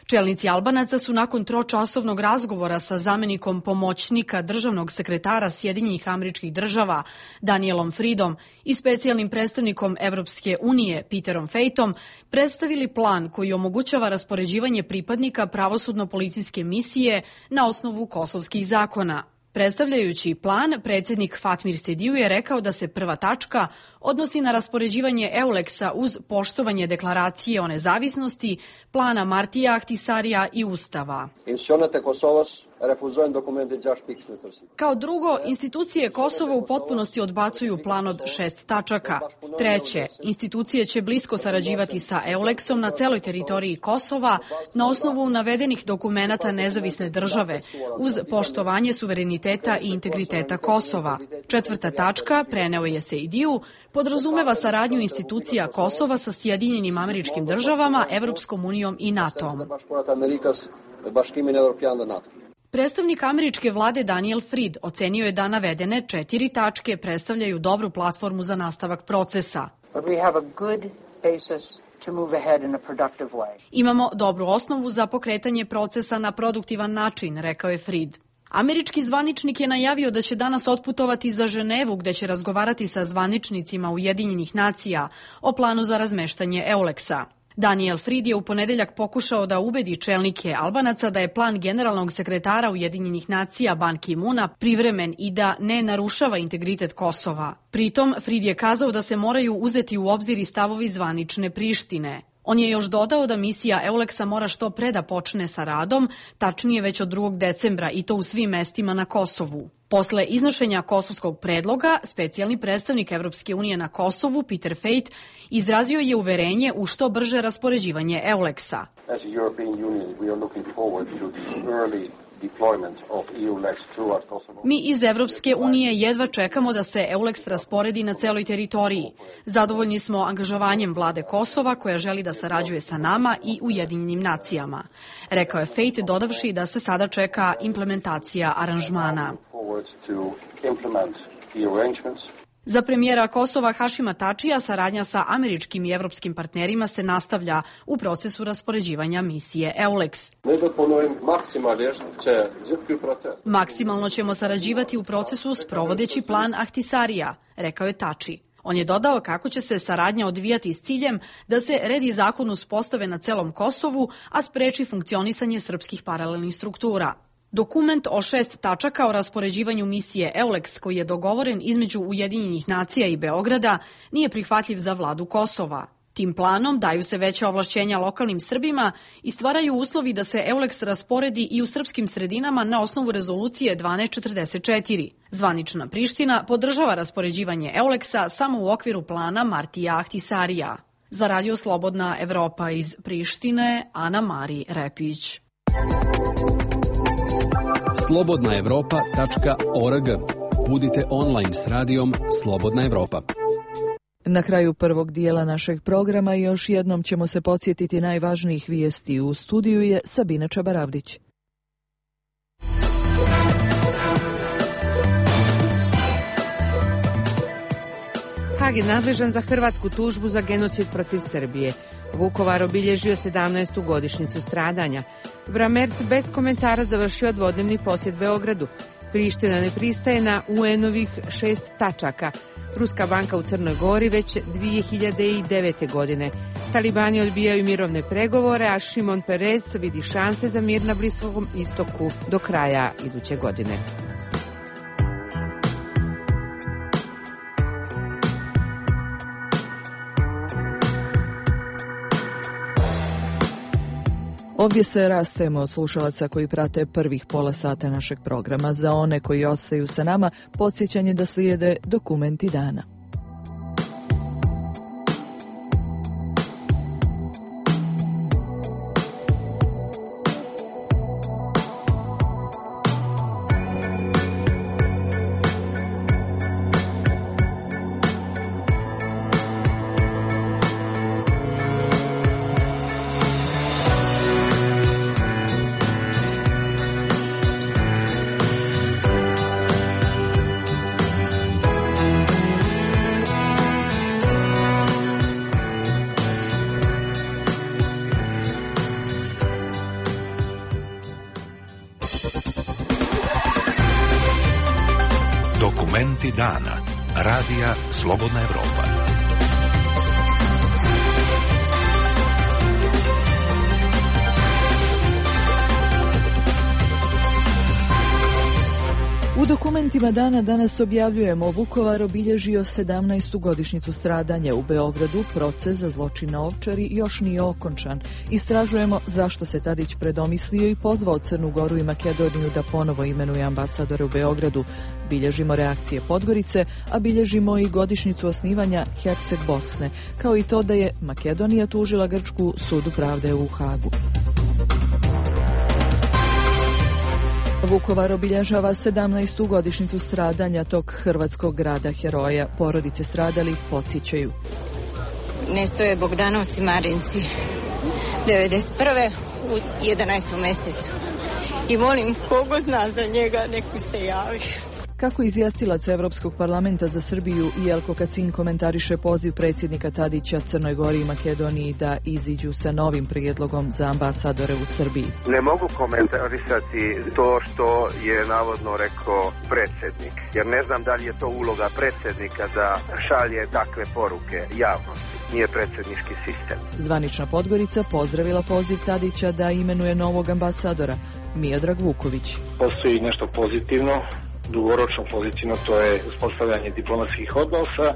Čelnici Albanaca su nakon tročasovnog razgovora sa zamenikom pomoćnika državnog sekretara Sjedinjenih Američkih Država Danielom Freedom i specijalnim predstavnikom Evropske unije Peterom Fejtom predstavili plan koji omogućava raspoređivanje pripadnika pravosudno-policijske misije na osnovu kosovskih zakona. Predstavljajući plan, predsjednik Fatmir Sediju je rekao da se prva tačka odnosi na raspoređivanje EULEX-a uz poštovanje deklaracije o nezavisnosti, plana Martija Ahtisarija i Ustava. Kao drugo, institucije Kosova u potpunosti odbacuju plan od šest tačaka. Treće, institucije će blisko sarađivati sa EULEX-om na celoj teritoriji Kosova na osnovu navedenih dokumenata nezavisne države, uz poštovanje suvereniteta i integriteta Kosova. Četvrta tačka, preneo je Sejdiju, podrazumeva saradnju institucija Kosova sa Sjedinjenim Američkim Državama, Evropskom unijom i NATO-om. Predstavnik američke vlade Daniel Fried ocenio je da navedene četiri tačke predstavljaju dobru platformu za nastavak procesa. Imamo dobru osnovu za pokretanje procesa na produktivan način, rekao je Fried. Američki zvaničnik je najavio da će danas otputovati za Ženevu gde će razgovarati sa zvaničnicima Ujedinjenih nacija o planu za razmeštanje EULEX-a. Daniel Fried je u ponedeljak pokušao da ubedi čelnike Albanaca da je plan generalnog sekretara Ujedinjenih nacija Ban Ki-muna privremen i da ne narušava integritet Kosova. Pritom, Fried je kazao da se moraju uzeti u obzir i stavovi zvanične Prištine. On je još dodao da misija EULEX-a mora što pre da počne sa radom, tačnije već od drugog decembra i to u svim mestima na Kosovu. Posle iznošenja kosovskog predloga, specijalni predstavnik Evropske unije na Kosovu, Peter Fejt, izrazio je uverenje u što brže raspoređivanje EULEX-a. Mi iz Evropske unije jedva čekamo da se EULEX rasporedi na celoj teritoriji. Zadovoljni smo angažovanjem vlade Kosova koja želi da sarađuje sa nama i Ujedinjenim nacijama. Rekao je Fejt dodavši da se sada čeka implementacija aranžmana. Za premijera Kosova Hašima Tačija saradnja sa američkim i evropskim partnerima se nastavlja u procesu raspoređivanja misije EULEX. Maksimalno ćemo sarađivati u procesu sprovodeći plan Ahtisarija, rekao je Tači. On je dodao kako će se saradnja odvijati s ciljem da se red i zakon uspostave na celom Kosovu, a spreči funkcionisanje srpskih paralelnih struktura. Dokument o šest tačaka o raspoređivanju misije EULEX koji je dogovoren između Ujedinjenih nacija i Beograda nije prihvatljiv za vladu Kosova. Tim planom daju se veća ovlašćenja lokalnim Srbima i stvaraju uslovi da se EULEX rasporedi i u srpskim sredinama na osnovu rezolucije dvanaest četrdeset četiri. Zvanična Priština podržava raspoređivanje EULEX-a samo u okviru plana Martija Ahtisarija. Za Radio Slobodna Evropa iz Prištine, Ana Mari Repić. slobodna evropa tačka org. Budite online s radijom Slobodna Evropa. Na kraju prvog dijela našeg programa još jednom ćemo se podsjetiti najvažnijih vijesti. U studiju je Sabina Čabaravdić. Hag je nadležan za hrvatsku tužbu za genocid protiv Srbije. Vukovar obilježio sedamnaestu godišnjicu stradanja. Bramerc bez komentara završio dvodnevni posjet Beogradu. Priština ne pristaje na U N-ovih šest tačaka. Ruska banka u Crnoj Gori već dvije hiljade devete. godine. Talibani odbijaju mirovne pregovore, a Šimon Perez vidi šanse za mir na Bliskom istoku do kraja iduće godine. Ovdje se rastajemo od slušalaca koji prate prvih pola sata našeg programa. Za one koji ostaju sa nama, podsjećanje da slijede dokumenti dana. Dokumenti dana. Radija Slobodna Evropa. U dokumentima dana danas objavljujemo Vukovar obilježio sedamnaestu godišnjicu stradanja. U Beogradu proces za zločin na Ovčari još nije okončan. Istražujemo zašto se Tadić predomislio i pozvao Crnu Goru i Makedoniju da ponovo imenuje ambasadore u Beogradu. Bilježimo reakcije Podgorice, a bilježimo i godišnjicu osnivanja Herceg Bosne, kao i to da je Makedonija tužila Grčku sudu pravde u Hagu. Vukovar obilježava sedamnaestu godišnjicu stradanja tog hrvatskog grada heroja. Porodice stradalih podsjećaju. Nestoje Bogdanovci Marinci devedeset prve u jedanaestom mesecu. I molim kogo zna za njega, neku se javi. Kako izjastilac Evropskog parlamenta za Srbiju Jelko Kacin komentariše poziv predsjednika Tadića Crnoj Gori i Makedoniji da iziđu sa novim prijedlogom za ambasadore u Srbiji. Ne mogu komentarisati to što je navodno rekao predsjednik, jer ne znam da li je to uloga predsjednika da šalje takve poruke javnosti. Nije predsjednički sistem. Zvanična Podgorica pozdravila poziv Tadića da imenuje novog ambasadora. Miodrag Vuković. Postoji nešto pozitivno, dugoročno pozitivno, to je uspostavljanje diplomatskih odnosa,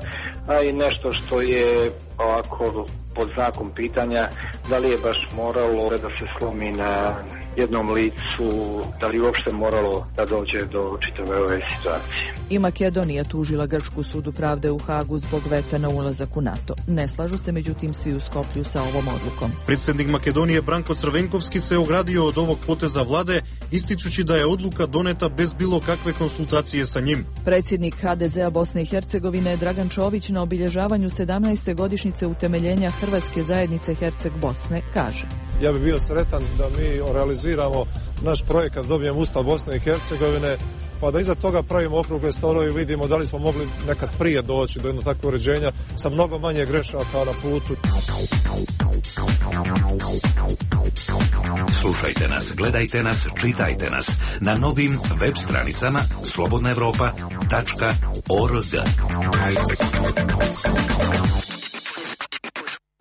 a i nešto što je ovako pod znakom pitanja da li je baš moralo da se slomi na jednom licu, da li uopšte moralo da dođe do čitave ove situacije. I Makedonija tužila Grčku sudu pravde u Hagu zbog veta na ulazak u NATO. Ne slažu se međutim svi u Skoplju sa ovom odlukom. Predsjednik Makedonije Branko Crvenkovski se ogradio od ovog poteza vlade, ističući da je odluka doneta bez bilo kakve konsultacije sa njim. Predsjednik ha de zea Bosne i Hercegovine Dragan Čović na obilježavanju sedamnaeste godišnjice utemeljenja Hrvatske zajednice Herceg Bosne kaže: Ja bih bio sretan da mi realiziramo naš projekat, dobijemo Ustav Bosne i Hercegovine, pa da iza toga pravimo okrugle stolove i vidimo da li smo mogli nekad prije doći do jednog takvog uređenja sa mnogo manje grešaka na putu. Slušajte nas, gledajte nas, čitajte nas na novim web stranicama slobodna evropa tačka org.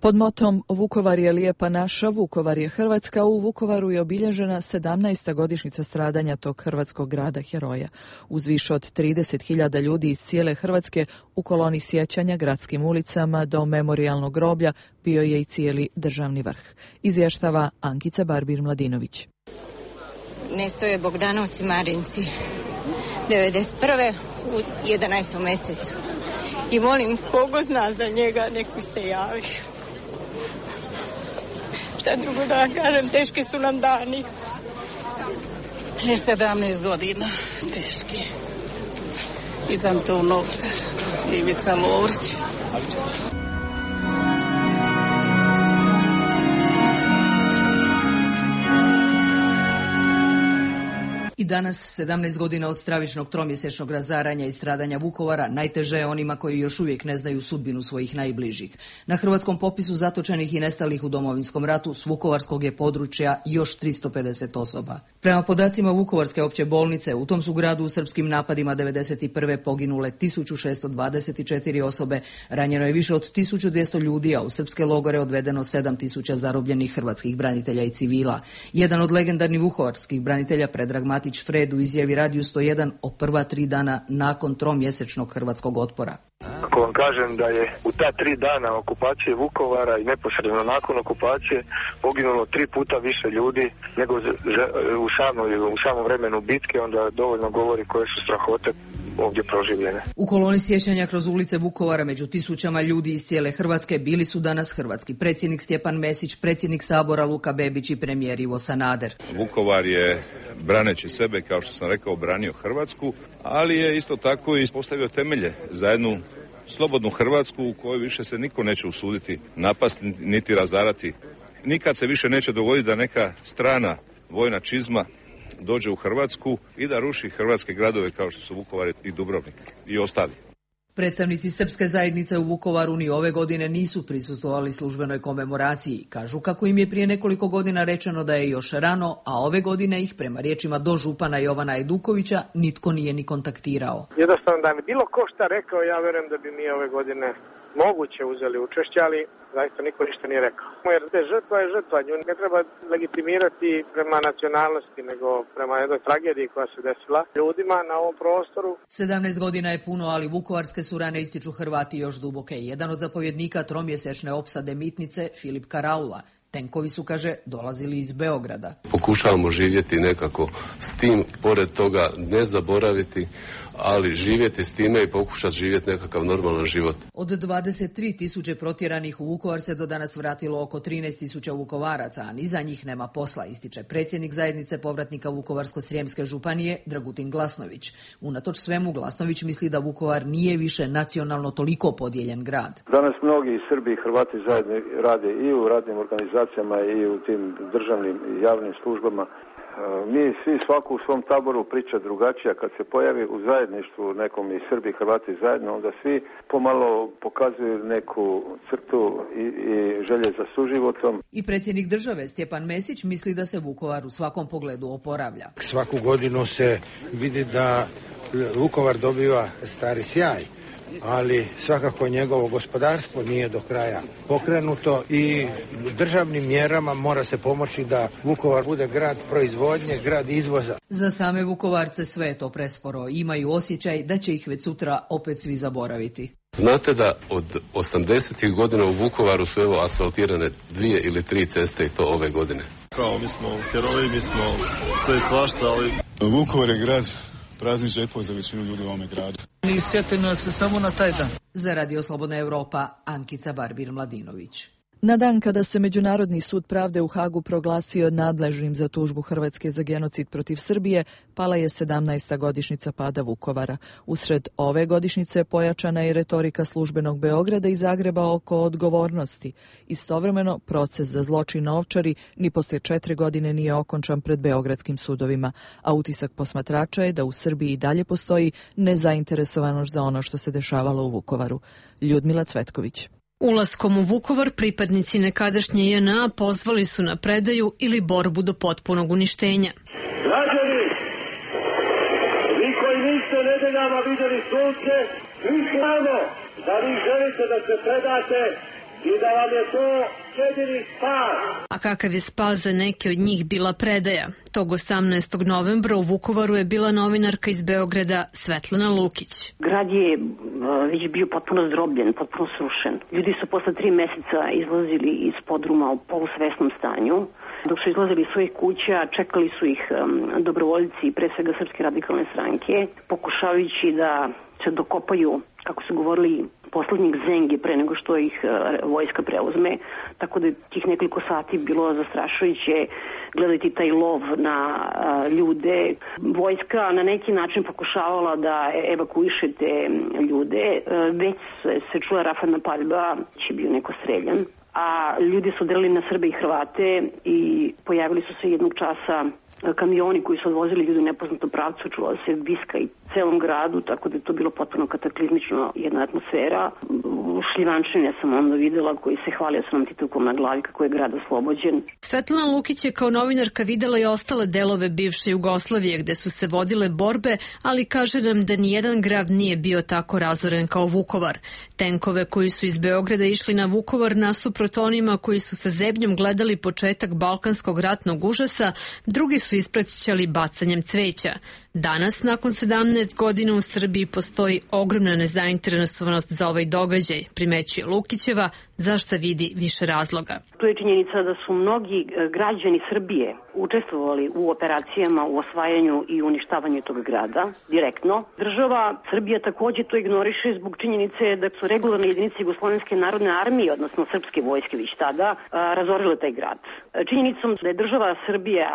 Pod motom Vukovar je lijepa naša, Vukovar je Hrvatska, u Vukovaru je obilježena sedamnaesta godišnjica stradanja tog hrvatskog grada heroja. Uz više od trideset hiljada ljudi iz cijele Hrvatske u koloni sjećanja gradskim ulicama do memorijalnog groblja bio je i cijeli državni vrh. Izvještava Ankica Barbir-Mladinović. Nestoje Bogdanovci Marinci devedeset prve u jedanaestom mesecu. I molim kogo zna za njega, neku se javi. Šta drugo da vam kažem, teški su nam dani. Je sedamnaest godina, teški. Iz Antunovca, Ivica Lovrić. I danas, sedamnaest godina od stravičnog tromjesečnog razaranja i stradanja Vukovara, najteže je onima koji još uvijek ne znaju sudbinu svojih najbližih. Na hrvatskom popisu zatočenih i nestalih u Domovinskom ratu s vukovarskog je područja još tristo pedeset osoba. Prema podacima Vukovarske opće bolnice, u tom su gradu u srpskim napadima devedeset prve poginule tisuću šesto dvadeset četiri osobe, ranjeno je više od tisuću dvjesto ljudi, a u srpske logore odvedeno sedam tisuća zarobljenih hrvatskih branitelja i civila. Jedan od legendarnih vukovarskih branitelja, Predrag Matić Fred, u izjavi Radiju sto jedan o prva tri dana nakon tromjesečnog hrvatskog otpora. Ako vam kažem da je u ta tri dana okupacije Vukovara i neposredno nakon okupacije poginulo tri puta više ljudi nego u samom, u samom vremenu bitke, onda dovoljno govori koje su strahote ovdje proživljene. U koloni sjećanja kroz ulice Vukovara među tisućama ljudi iz cijele Hrvatske bili su danas hrvatski predsjednik Stjepan Mesić, predsjednik Sabora Luka Bebić i premijer Ivo Sanader. Vukovar je, braneći sebe, kao što sam rekao, branio Hrvatsku, ali je isto tako i postavio temelje za jednu slobodnu Hrvatsku u kojoj više se niko neće usuditi napasti niti razarati. Nikad se više neće dogoditi da neka strana vojna čizma dođe u Hrvatsku i da ruši hrvatske gradove kao što su Vukovar i Dubrovnik i ostali. Predstavnici srpske zajednice u Vukovaru ni ove godine nisu prisustvovali službenoj komemoraciji. Kažu kako im je prije nekoliko godina rečeno da je još rano, a ove godine ih, prema riječima dožupana Jovana Edukovića, nitko nije ni kontaktirao. Jednostavno da mi bilo ko šta rekao, ja verujem da bi mi ove godine moguće uzeli učešće, ali zaista niko ništa nije rekao. Jer te žrtva je žrtva, nju ne treba legitimirati prema nacionalnosti, nego prema jednoj tragediji koja se desila ljudima na ovom prostoru. sedamnaest godina je puno, ali vukovarske su rane ističu Hrvati još duboke. Jedan od zapovjednika tromjesečne opsade Mitnice, Filip Karaula. Tenkovi su, kaže, dolazili iz Beograda. Pokušavamo živjeti nekako s tim, pored toga ne zaboraviti, ali živjeti s time i pokušati živjeti nekakav normalan život. Od dvadeset tri tisuće protjeranih u Vukovar se do danas vratilo oko trinaest tisuća Vukovaraca, a ni za njih nema posla, ističe predsjednik zajednice povratnika Vukovarsko-srijemske županije Dragutin Glasnović. Unatoč svemu, Glasnović misli da Vukovar nije više nacionalno toliko podijeljen grad. Danas mnogi Srbi i Hrvati zajedno rade i u radnim organizacijama i u tim državnim i javnim službama. Mi svi svaku u svom taboru priča drugačija. Kad se pojavi u zajedništvu nekom i Srbi i Hrvati zajedno, onda svi pomalo pokazuju neku crtu i, i želje za suživotom. I predsjednik države Stjepan Mesić misli da se Vukovar u svakom pogledu oporavlja. Svaku godinu se vidi da Vukovar dobiva stari sjaj, ali svakako njegovo gospodarstvo nije do kraja pokrenuto i državnim mjerama mora se pomoći da Vukovar bude grad proizvodnje, grad izvoza. Za same Vukovarce sve je to presporo. Imaju osjećaj da će ih već sutra opet svi zaboraviti. Znate da od osamdesetih godina u Vukovaru su evo asfaltirane dvije ili tri ceste i to ove godine. Kao mi smo heroji, mi smo sve svašta, ali Vukovar je grad praznih žepova za većinu ljudi u ovome gradu. I sjetimo se samo na taj dan. Za Radio Slobodna Europa, Ankica Barbir-Mladinović. Na dan kada se Međunarodni sud pravde u Hagu proglasio nadležnim za tužbu Hrvatske za genocid protiv Srbije, pala je sedamnaesta godišnjica pada Vukovara. Usred ove godišnjice pojačana je retorika službenog Beograda i Zagreba oko odgovornosti. Istovremeno, proces za zločin na Ovčari ni poslije četiri godine nije okončan pred beogradskim sudovima, a utisak posmatrača je da u Srbiji i dalje postoji nezainteresovanost za ono što se dešavalo u Vukovaru. Ljudmila Cvetković. Ulaskom u Vukovar pripadnici nekadašnje J N A pozvali su na predaju ili borbu do potpunog uništenja. Građani, vi koji niste nedeljama vidjeli sunce, mi znamo da vi želite da se predate i da vam je to jedini spas. A kakav je spas za neke od njih bila predaja? Tog osamnaestog novembra u Vukovaru je bila novinarka iz Beograda Svetlana Lukić. Grad je već bio potpuno zdrobljen, potpuno srušen. Ljudi su posle tri meseca izlazili iz podruma u polusvesnom stanju. Dok su izlazili iz svojih kuća, čekali su ih um, dobrovoljci, pre svega Srpske radikalne stranke, pokušavajući da se dokopaju, kako su govorili, poslednjih zengi pre nego što ih uh, vojska preuzme. Tako da je tih nekoliko sati bilo zastrašujuće gledati taj lov na uh, ljude. Vojska na neki način pokušavala da evakuiše te ljude. Uh, već se, se čula rafalna paljba, će bio neko streljan. A ljudi su delili na Srbe i Hrvate i pojavili su se jednog časa kamioni koji su odvozili ljudi u nepoznatom pravcu, čula se viska i celom gradu, tako da je to bilo potpuno kataklizmično jedna atmosfera. Šljivančine sam onda videla koji se hvalio sa nam titukom na glavi kako je grad oslobođen. Svetlana Lukić je kao novinarka videla i ostale delove bivše Jugoslavije gde su se vodile borbe, ali kaže nam da nijedan grad nije bio tako razoren kao Vukovar. Tenkove koji su iz Beograda išli na Vukovar nasuprot onima koji su sa zebnjom gledali početak balkanskog ratnog užasa, drugi su ispraćali bacanjem cveća. Danas, nakon sedamnaest godina u Srbiji, postoji ogromna nezainteresovanost za ovaj događaj, primećuje Lukićeva, za šta vidi više razloga. Tu je činjenica da su mnogi građani Srbije učestvovali u operacijama, u osvajanju i uništavanju tog grada, direktno. Država Srbija takođe to ignoriše zbog činjenice da su regularne jedinice Jugoslovenske narodne armije, odnosno srpske vojske već tada, razorile taj grad. Činjenicom da je država Srbija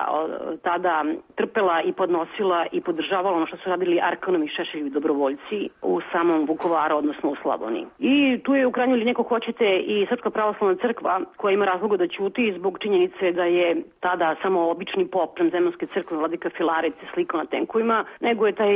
tada trpela i podnosila i podržavala ono što su radili Arkanov i Šešeljevi dobrovoljci u samom Vukovaru, odnosno u Slavoniji. I tu je u krajnjoj liniji, ako hoćete, i Srpska pravoslavna crkva koja ima razloga da ćuti zbog činjenice da je tada samo obični pop Zemaljske crkve, vladika Filaret se slikao na tenkovima, nego je taj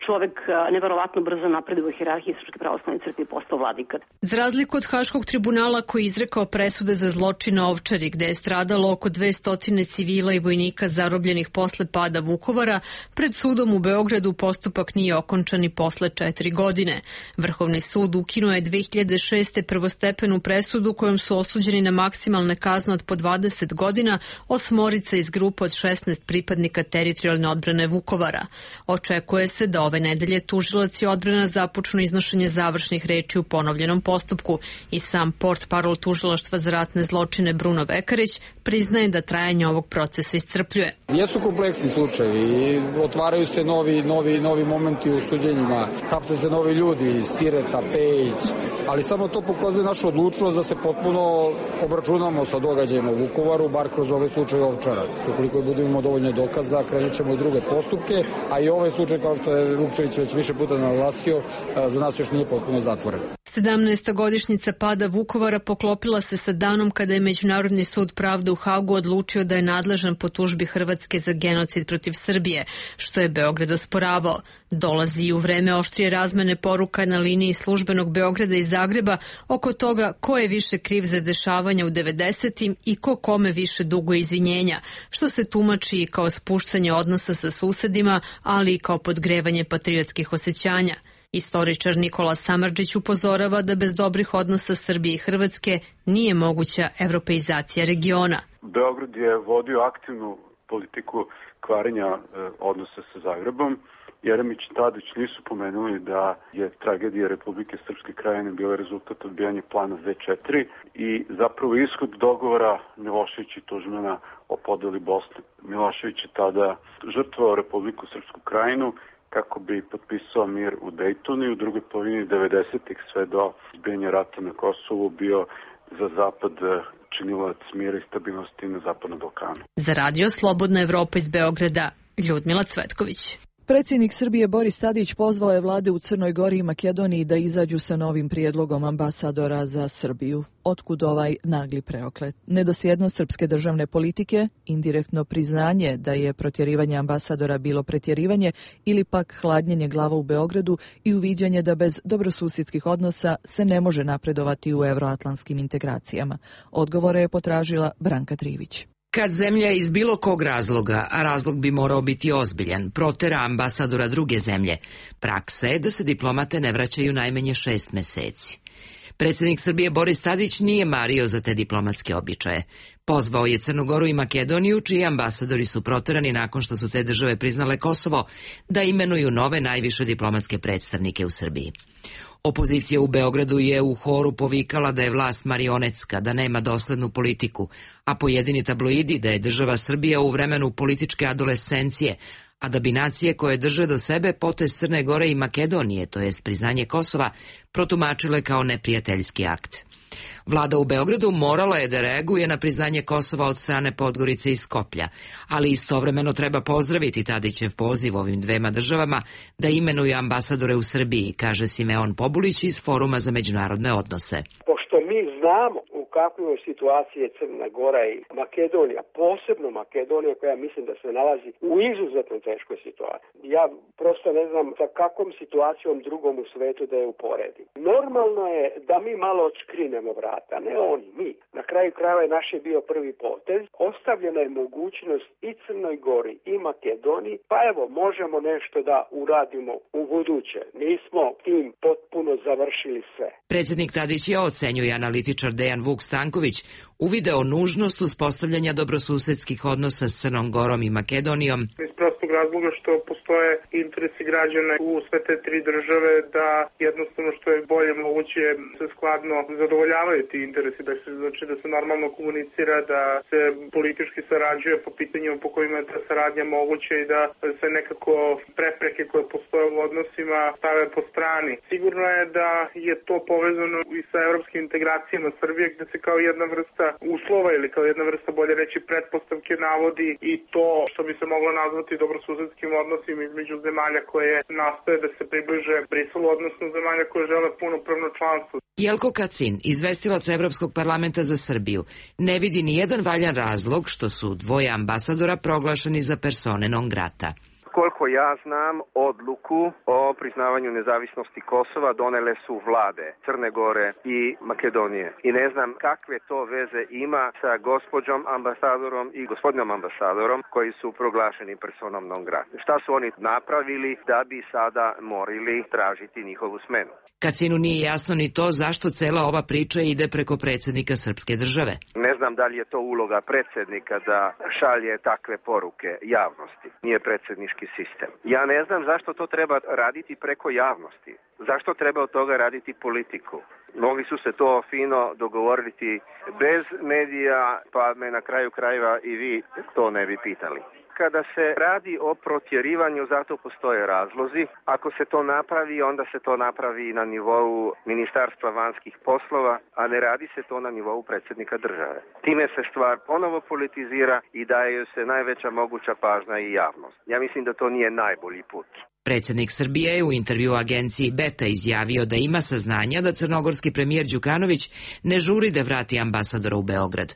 čovek neverovatno brzo napredovao u hijerarhiji Srpske pravoslavne crkve i postao vladika. Za razliku od Haškog tribunala koji je izrekao presude za zločin na Ovčari, gde je stradalo oko dvesta civila i vojnika zarobljenih posle pada Vukovara, pred sudom u Beogradu postupak nije okončan i posle četiri godine. Vrhovni sud ukinuo je dve hiljade šeste. prvostepenu presudu kojom su osuđeni na maksimalne kazne od po dvadeset godina osmorica iz grupe od šesnaest pripadnika teritorijalne odbrane Vukovara. Očekuje se da ove nedelje tužilac i odbrana započnu iznošenje završnih reči u ponovljenom postupku i sam portparol tužilaštva za ratne zločine Bruno Vekarić priznaje da trajanje ovog procesa iscrpljuje. Jesu kompleksni slučajevi i otvaraju se novi, novi, novi momenti u suđenjima, hapse se novi ljudi, Sireta, Pejić, ali samo to pokazuje našu odlučnost da se potpuno obračunamo sa događajima u Vukovaru, bar kroz ove slučaje Ovčara. Ukoliko budemo dovoljno dokaza, krenut ćemo i druge postupke, a i ovaj slučaj, kao što je Vukčević već više puta naglasio, za nas još nije potpuno zatvoren. sedamnaesta godišnjica pada Vukovara poklopila se sa danom kada je Međunarodni sud pravde u Hagu odlučio da je nadležan po tužbi Hrvatske za genocid protiv Srbije, što je Beograd osporavao. Dolazi i u vreme oštrije razmene poruka na liniji službenog Beograda i Zagreba oko toga ko je više kriv za dešavanja u devedesetim i ko kome više duguje izvinjenja, što se tumači i kao spuštanje odnosa sa susedima, ali i kao podgrevanje patriotskih osjećanja. Istoričar Nikola Samardžić upozorava da bez dobrih odnosa Srbije i Hrvatske nije moguća evropeizacija regiona. Beograd je vodio aktivnu politiku kvarenja odnosa sa Zagrebom. Jeremić i Tadić nisu pomenuli da je tragedija Republike Srpske Krajine bila rezultat odbijanja plana Z četiri i zapravo ishod dogovora Milošević i Tuđmana o podeli Bosne. Milošević je tada žrtvovao Republiku Srpsku Krajinu kako bi potpisao mir u Dejtonu i u drugoj polovini devedesetih sve do izbijanja rata na Kosovu bio za Zapad činilac mira i stabilnosti na Zapadnom Balkanu. Za radio Slobodna Evropa iz Beograda, Ljudmila Cvetković. Predsjednik Srbije Boris Tadić pozvao je vlade u Crnoj Gori i Makedoniji da izađu sa novim prijedlogom ambasadora za Srbiju. Otkud ovaj nagli preoklet? Nedosljednost srpske državne politike, indirektno priznanje da je protjerivanje ambasadora bilo pretjerivanje ili pak hladnjenje glava u Beogradu i uviđanje da bez dobrosusjedskih odnosa se ne može napredovati u euroatlantskim integracijama. Odgovore je potražila Branka Trivić. Kad zemlja iz bilo kog razloga, a razlog bi morao biti ozbiljan, protera ambasadora druge zemlje, praksa je da se diplomate ne vraćaju najmanje šest meseci. Predsjednik Srbije Boris Tadić nije mario za te diplomatske običaje. Pozvao je Crnu Goru i Makedoniju, čiji ambasadori su proterani nakon što su te države priznale Kosovo, da imenuju nove najviše diplomatske predstavnike u Srbiji. Opozicija u Beogradu je u horu povikala da je vlast marionetska, da nema doslednu politiku, a pojedini tabloidi da je država Srbija u vremenu političke adolescencije, a da bi nacije koje drže do sebe potez Crne Gore i Makedonije, to jest priznanje Kosova, protumačile kao neprijateljski akt. Vlada u Beogradu morala je da reaguje na priznanje Kosova od strane Podgorice i Skoplja, ali istovremeno treba pozdraviti Tadićev poziv ovim dvema državama da imenuju ambasadore u Srbiji, kaže Simeon Pobulić iz Foruma za međunarodne odnose. Pošto mi znamo u kakvoj situaciji je Crna Gora i Makedonija, posebno Makedonija koja mislim da se nalazi u izuzetno teškoj situaciji. Ja prosto ne znam sa kakvom situacijom drugom u svetu da je uporedim. Normalno je da mi malo odškrinemo vrata, ne oni, mi. Na kraju krajeva je naš je bio prvi potez. Ostavljena je mogućnost i Crnoj Gori i Makedoniji, pa evo možemo nešto da uradimo u buduće. Nismo tim potpuno završili sve. Predsjednik Tadić je, ocenjuje analitičar Dejan Vuk Stanković, uvideo nužnost uspostavljanja dobrosusedskih odnosa s Crnom Gorom i Makedonijom. Iz prostog razloga što postoje interesi građana u sve te tri države da jednostavno što je bolje moguće se skladno zadovoljavaju ti interesi, da se, znači da se normalno komunicira, da se politički sarađuje po pitanjima po kojima je ta saradnja moguća i da se nekako prepreke koje postoje u odnosima stave po strani. Sigurno je da je to povezano i sa evropskim integracijama Srbije, gde se kao jedna vrsta uslova ili kao jedna vrsta, bolje reći, pretpostavke navodi i to što bi se moglo nazvati dobrosusedstvo dobrosusedskim odnosima između zemalja koje nastoje da se približe Briselu, odnosno zemalja koje žele punopravno članstvo. Jelko Kacin, izvestilac Evropskog parlamenta za Srbiju, ne vidi ni jedan valjan razlog što su dvoje ambasadora proglašeni za persone non grata. Koliko ja znam, odluku o priznavanju nezavisnosti Kosova donele su vlade Crne Gore i Makedonije. I ne znam kakve to veze ima sa gospođom ambasadorom i gospodinom ambasadorom koji su proglašeni personom non grata. Šta su oni napravili da bi sada morali tražiti njihovu smenu? Kacinu nije jasno ni to zašto cela ova priča ide preko predsjednika srpske države. Ne znam da li je to uloga predsjednika da šalje takve poruke javnosti. Nije predsjednički sistem. Ja ne znam zašto to treba raditi preko javnosti. Zašto treba od toga raditi politiku? Mogli su se to fino dogovoriti bez medija, pa me na kraju krajeva i vi to ne bi pitali. Kada se radi o protjerivanju, zato postoje razlozi. Ako se to napravi, onda se to napravi na nivou Ministarstva vanjskih poslova, a ne radi se to na nivou predsjednika države. Time se stvar ponovo politizira i daje se najveća moguća pažnja i javnost. Ja mislim da to nije najbolji put. Predsjednik Srbije je u intervju agenciji Beta izjavio da ima saznanja da crnogorski premijer Đukanović ne žuri da vrati ambasadora u Beograd.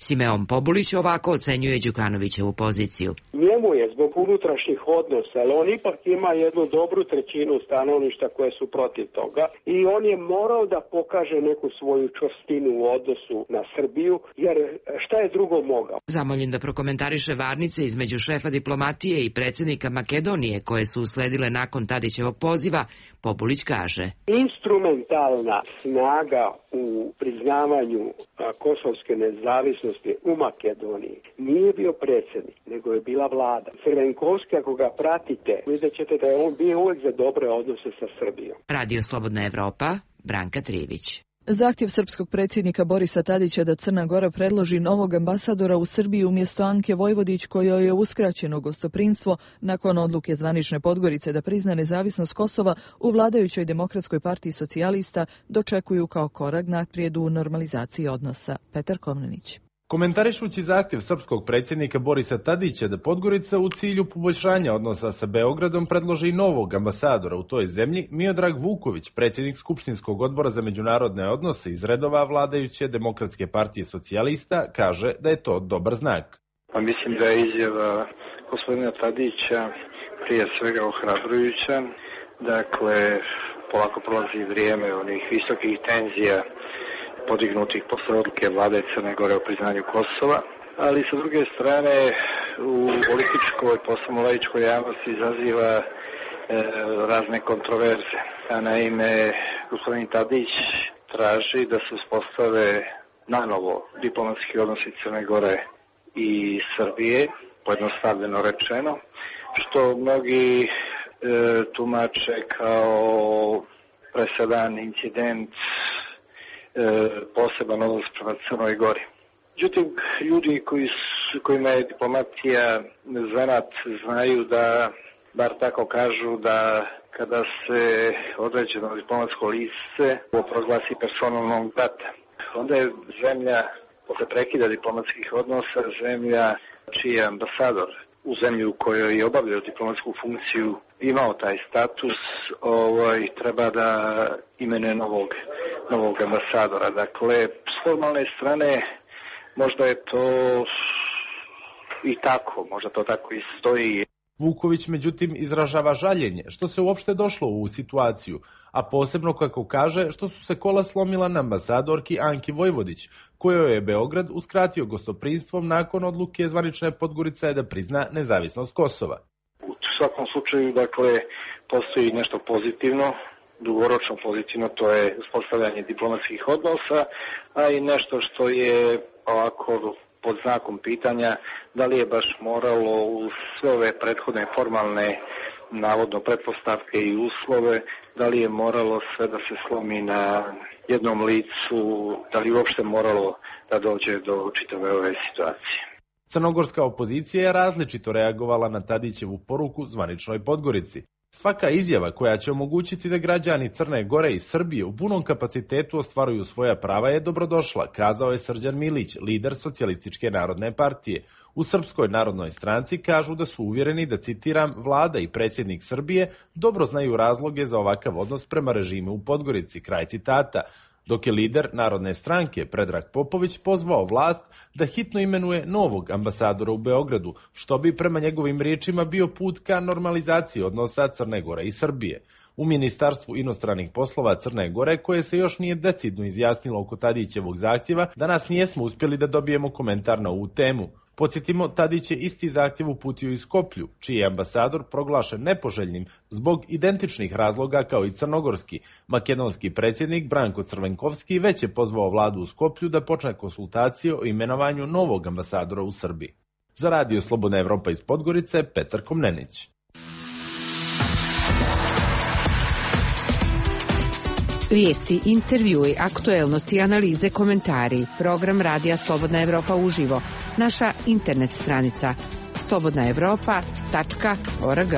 Simeon Pobulić ovako ocenjuje Đukanovićevu poziciju. Njemu je zbog unutrašnjih odnosa, ali on ipak ima jednu dobru trećinu stanovništva koje su protiv toga i on je morao da pokaže neku svoju čvrstinu u odnosu na Srbiju, jer šta je drugo mogao? Zamoljen da prokomentariše varnice između šefa diplomatije i predsjednika Makedonije koje su usledile nakon Tadićevog poziva, Pobulić kaže: instrumentalna snaga u priznavanju a, kosovske nezavisnosti u Makedoniji nije bio predsjednik, nego je bila vlada. Crvenkovski, ako ga pratite, vidjet ćete da je on bio uvijek za dobre odnose sa Srbijom. Radio Slobodna Evropa, Branka Trivić. Zahtjev srpskog predsjednika Borisa Tadića da Crna Gora predloži novog ambasadora u Srbiji umjesto Anke Vojvodić, kojoj je uskraćeno gostoprinstvo nakon odluke zvanične Podgorice da prizna nezavisnost Kosova, u vladajućoj Demokratskoj partiji socijalista dočekuju kao korak naprijed u normalizaciji odnosa. Petar Komnenić. Komentarišući zahtjev srpskog predsjednika Borisa Tadića da Podgorica u cilju poboljšanja odnosa sa Beogradom predloži novog ambasadora u toj zemlji, Miodrag Vuković, predsjednik Skupštinskog odbora za međunarodne odnose iz redova vladajuće Demokratske partije socijalista, kaže da je to dobar znak. Pa mislim da je izjava gospodina Tadića prije svega ohrabrujuća. Dakle, polako prolazi vrijeme onih visokih tenzija podignutih posle odluke vlade Crne Gore o priznanju Kosova, ali sa druge strane u političkoj, posebno laičkoj javnosti izaziva e, razne kontroverze. A naime, gospodin Tadić traži da se uspostave nanovo diplomatski odnosi Crne Gore i Srbije, pojednostavljeno rečeno, što mnogi e, tumače kao presedan incident, poseban odnos prema Crnoj Gori. Međutim, ljudi koji su, kojima je diplomatija zanat znaju da, bar tako kažu, da kada se određeno diplomatsko lice proglasi personom non grata, onda je zemlja, posle prekida diplomatskih odnosa, zemlja čiji je ambasador u zemlji u kojoj je obavljao diplomatsku funkciju imao taj status, ovaj, treba da imenuje novog novog ambasadora. Dakle, s formalne strane možda je to i tako, možda to tako i stoji. Vuković međutim izražava žaljenje što se uopšte došlo u ovu situaciju, a posebno kako kaže što su se kola slomila na ambasadorki Anki Vojvodić, kojoj je Beograd uskratio gostoprinstvom nakon odluke zvanične Podgorice da prizna nezavisnost Kosova. U svakom slučaju, dakle, postoji nešto pozitivno, dugoročno pozitivno, to je uspostavljanje diplomatskih odnosa, a i nešto što je ovako pod znakom pitanja da li je baš moralo u sve ove prethodne formalne navodno pretpostavke i uslove, da li je moralo sve da se slomi na jednom licu, da li uopšte moralo da dođe do čitave ove situacije. Crnogorska opozicija je različito reagovala na Tadićevu poruku zvaničnoj Podgorici. Svaka izjava koja će omogućiti da građani Crne Gore i Srbije u punom kapacitetu ostvaruju svoja prava je dobrodošla, kazao je Srđan Milić, lider Socijalističke narodne partije. U Srpskoj narodnoj stranci kažu da su uvjereni da, citiram, vlada i predsjednik Srbije dobro znaju razloge za ovakav odnos prema režimu u Podgorici, kraj citata, dok je lider Narodne stranke Predrag Popović pozvao vlast da hitno imenuje novog ambasadora u Beogradu, što bi prema njegovim riječima bio put ka normalizaciji odnosa Crne Gore i Srbije. U Ministarstvu inostranih poslova Crne Gore, koje se još nije decidno izjasnilo oko Tadićevog zahtjeva, danas nijesmo uspjeli da dobijemo komentar na ovu temu. Podsjetimo, Tadić je isti zahtjev uputio i Skoplju, čiji je ambasador proglašen nepoželjnim zbog identičnih razloga kao i crnogorski. Makedonski predsjednik Branko Crvenkovski već je pozvao vladu u Skoplju da počne konsultacije o imenovanju novog ambasadora u Srbiji. Za Radio Slobodna Evropa iz Podgorice, Petar Komnenić. Vijesti, intervjui, aktuelnosti, analize, komentari. Program Radija Slobodna Evropa uživo. Naša internet stranica slobodna evropa tačka org.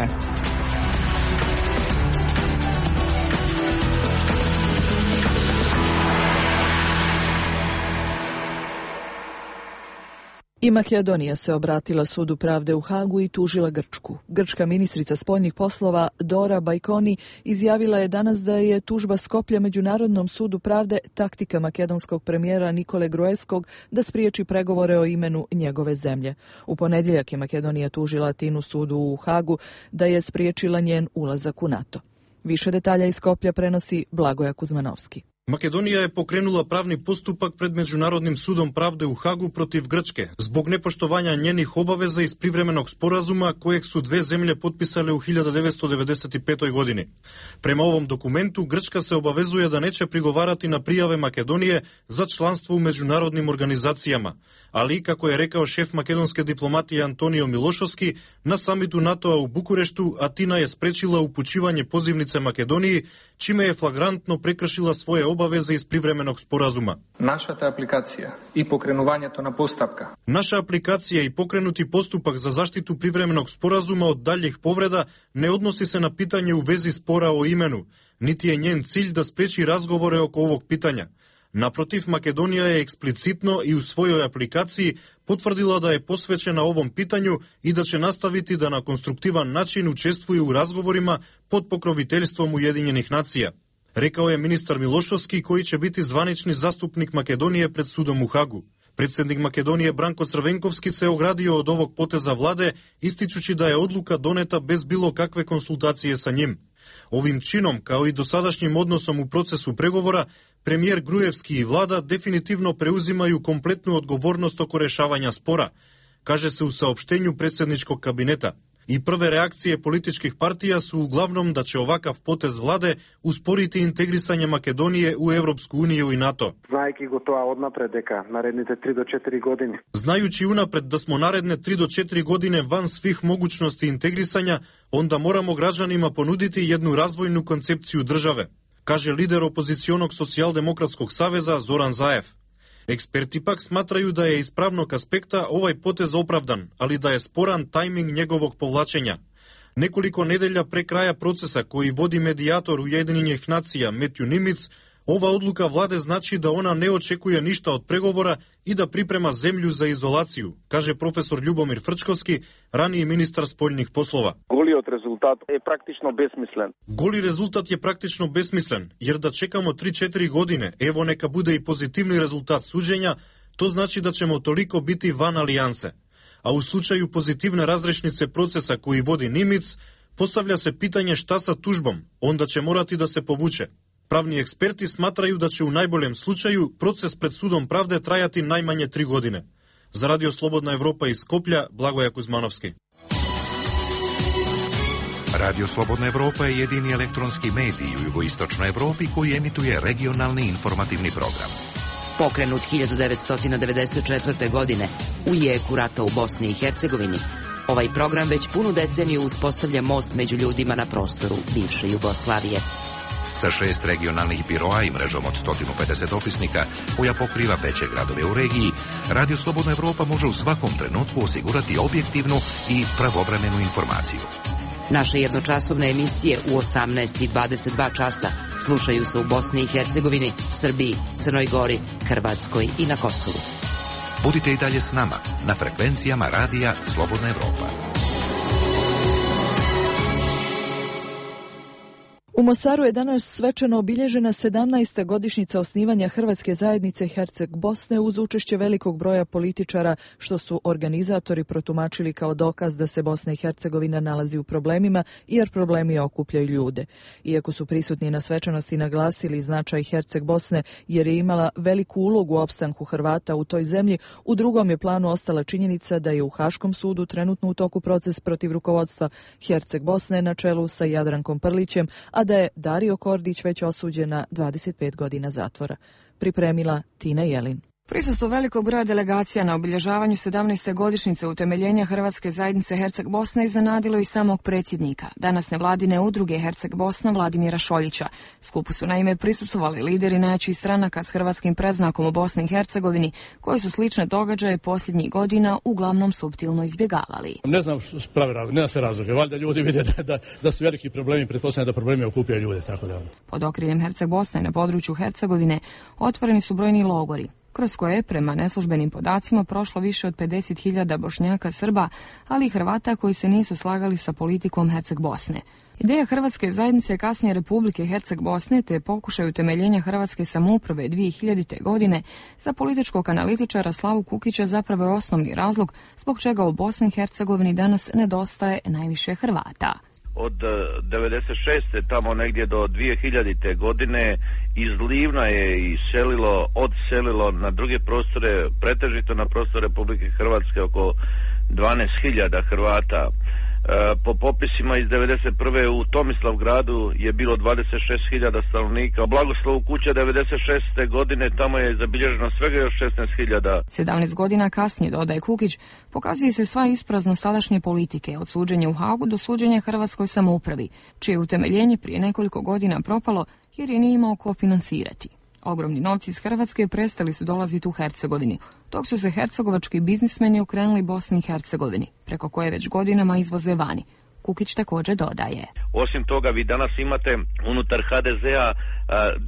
I Makedonija se obratila Sudu pravde u Hagu i tužila Grčku. Grčka ministrica spoljnih poslova Dora Bajkoni izjavila je danas da je tužba Skoplja Međunarodnom sudu pravde taktika makedonskog premijera Nikole Gruevskog da spriječi pregovore o imenu njegove zemlje. U ponedjeljak je Makedonija tužila Atinu sudu u Hagu da je spriječila njen ulazak u NATO. Više detalja iz Skoplja prenosi Blagoja Kuzmanovski. Makedonija je pokrenula pravni postupak pred Međunarodnim sudom pravde u Hagu protiv Grčke zbog nepoštovanja njenih obaveza iz privremenog sporazuma kojeg su dve zemlje potpisale u hiljadu devetsto devedeset pete. godini. Prema ovom dokumentu Grčka se obavezuje da neće prigovarati na prijave Makedonije za članstvo u međunarodnim organizacijama, ali, kako je rekao šef makedonske diplomatije Antonio Milošovski, na samitu NATO-a u Bukureštu Atina je sprečila upućivanje pozivnice Makedoniji, čime je flagrantno prekršila svoje obaveze iz privremenog sporazuma. Našата aplikacija i pokrenuvanje to na postavka. Naša aplikacija i pokrenuti postupak za zaštitu privremenog sporazuma od daljih povreda ne odnosi se na pitanje u vezi spora o imenu, niti je njen cilj da spreči razgovore oko ovog pitanja. Naprotiv, Makedonija je eksplicitno i u svojoj aplikaciji potvrdila da je posvećena ovom pitanju i da će nastaviti da na konstruktivan način učestvuje u razgovorima pod pokroviteljstvom Ujedinjenih nacija, rekao je ministar Milošovski, koji će biti zvanični zastupnik Makedonije pred sudom u Hagu. Predsjednik Makedonije Branko Crvenkovski se ogradio od ovog poteza vlade, ističući da je odluka doneta bez bilo kakve konsultacije sa njim. Ovim činom, kao i dosadašnjim odnosom u procesu pregovora, premijer Gruevski i vlada definitivno preuzimaju kompletnu odgovornost oko rješavanja spora, kaže se u saopštenju predsjedničkog kabineta. I prve reakcije političkih partija su uglavnom da će ovakav potez vlade usporiti integrisanje Makedonije u Evropsku uniju i NATO. Знајќи го тоа однапред дека наредните три до четири години. Знаjući unapred da smo naredne tri do četiri godine van svih mogućnosti integrisanja, onda moramo građanima ponuditi jednu razvojnu koncepciju države, kaže lider opozicionog socijaldemokratskog saveza Zoran Zaev. Eksperti pak smatraju da je iz pravnog aspekta ovaj potez opravdan, ali da je sporan tajming njegovog povlačenja. Nekoliko nedelja pre kraja procesa koji vodi medijator Ujedinjenih nacija Matthew Nimitz, ova odluka vlade znači da ona ne očekuje ništa od pregovora i da priprema zemlju za izolaciju, kaže profesor Ljubomir Frčkovski, raniji ministar spoljnih poslova. Голиот резултат е практично бесмислен. Goli rezultat je praktično besmislen, jer da čekamo tri do četiri godine, evo neka bude i pozitivni rezultat suđenja, to znači da ćemo toliko biti van alijanse. A u slučaju pozitivne razrešnice procesa koji vodi Nimitz, postavlja se pitanje šta sa tužbom, onda će morati da se povuče. Pravni eksperti smatraju da će u najboljem slučaju proces pred sudom pravde trajati najmanje tri godine. Za Radio Slobodna Evropa iz Skoplja, Blagoja Kuzmanovski. Radio Slobodna Evropa je jedini elektronski medij u jugoistočnoj Evropi koji emituje regionalni informativni program. Pokrenut hiljadu devetsto devedeset četvrte. godine u jeku rata u Bosni i Hercegovini, ovaj program već punu deceniju uspostavlja most među ljudima na prostoru bivše Jugoslavije. Sa šest regionalnih biroa i mrežom od sto pedeset opisnika koja pokriva veće gradove u regiji, Radio Slobodna Evropa može u svakom trenutku osigurati objektivnu i pravovremenu informaciju. Naše jednočasovne emisije u osamnaest i dvadeset dva časa slušaju se u Bosni i Hercegovini, Srbiji, Crnoj Gori, Hrvatskoj i na Kosovu. Budite i dalje s nama na frekvencijama radija Slobodna Evropa. U Mostaru je danas svečano obilježena sedamnaesta godišnjica osnivanja Hrvatske zajednice Herceg Bosne uz učešće velikog broja političara, što su organizatori protumačili kao dokaz da se Bosna i Hercegovina nalazi u problemima, jer problemi okupljaju ljude. Iako su prisutni na svečanosti naglasili značaj Herceg Bosne jer je imala veliku ulogu u opstanku Hrvata u toj zemlji, u drugom je planu ostala činjenica da je u Haškom sudu trenutno u toku proces protiv rukovodstva Herceg Bosne na čelu sa Jadrankom Prlićem, a da je Dario Kordić već osuđen na dvadeset pet godina zatvora. Pripremila Tina Jelin. Prisustvo velikog broja delegacija na obilježavanju sedamnaeste godišnjice utemeljenja Hrvatske zajednice Herceg Bosne iznenadilo i samog predsjednika, danas nevladine udruge Herceg Bosna Vladimira Šoljića. Skupu su naime prisustvovali lideri najjačih stranaka s hrvatskim predznakom u Bosni i Hercegovini, koji su slične događaje posljednjih godina uglavnom suptilno izbjegavali. Ne znam što pravi razlog, nema se razloga. Valjda ljudi vide da, da, da su veliki problemi, pretpostavljam da problemi okupljaju ljude, tako da. Pod okriljem Herceg Bosne na području Hercegovine otvoreni su brojni logori, kroz koje je prema neslužbenim podacima prošlo više od pedeset hiljada Bošnjaka, Srba, ali i Hrvata koji se nisu slagali sa politikom Herceg Bosne. Ideja Hrvatske zajednice, kasnije Republike Herceg Bosne, te pokušaj utemeljenja Hrvatske samouprave dvije hiljadite. godine za političkog analitičara Slavu Kukića zapravo je osnovni razlog zbog čega u Bosni i Hercegovini danas nedostaje najviše Hrvata. Od devedeset šeste tamo negdje do dvije hiljadite. godine iz Livna je iselilo, odselilo na druge prostore, pretežito na prostor Republike Hrvatske oko dvanaest hiljada Hrvata. Po popisima iz devedeset prve. u Tomislavgradu je bilo dvadeset šest hiljada stanovnika. U Blagoslovu kuća devedeset šeste. godine tamo je zabilježeno svega još šesnaest hiljada. sedamnaest godina kasnije, dodaje Kukić, pokazuje se sva ispraznost tadašnje politike, od suđenja u Hagu do suđenja Hrvatskoj samoupravi, čije utemeljenje prije nekoliko godina propalo jer je nije imao ko finansirati. Ogromni novci iz Hrvatske prestali su dolaziti u Hercegovini, dok su se hercegovački biznismeni okrenuli Bosni i Hercegovini, preko koje već godinama izvoze vani. Kukić također dodaje. Osim toga, vi danas imate unutar ha de zea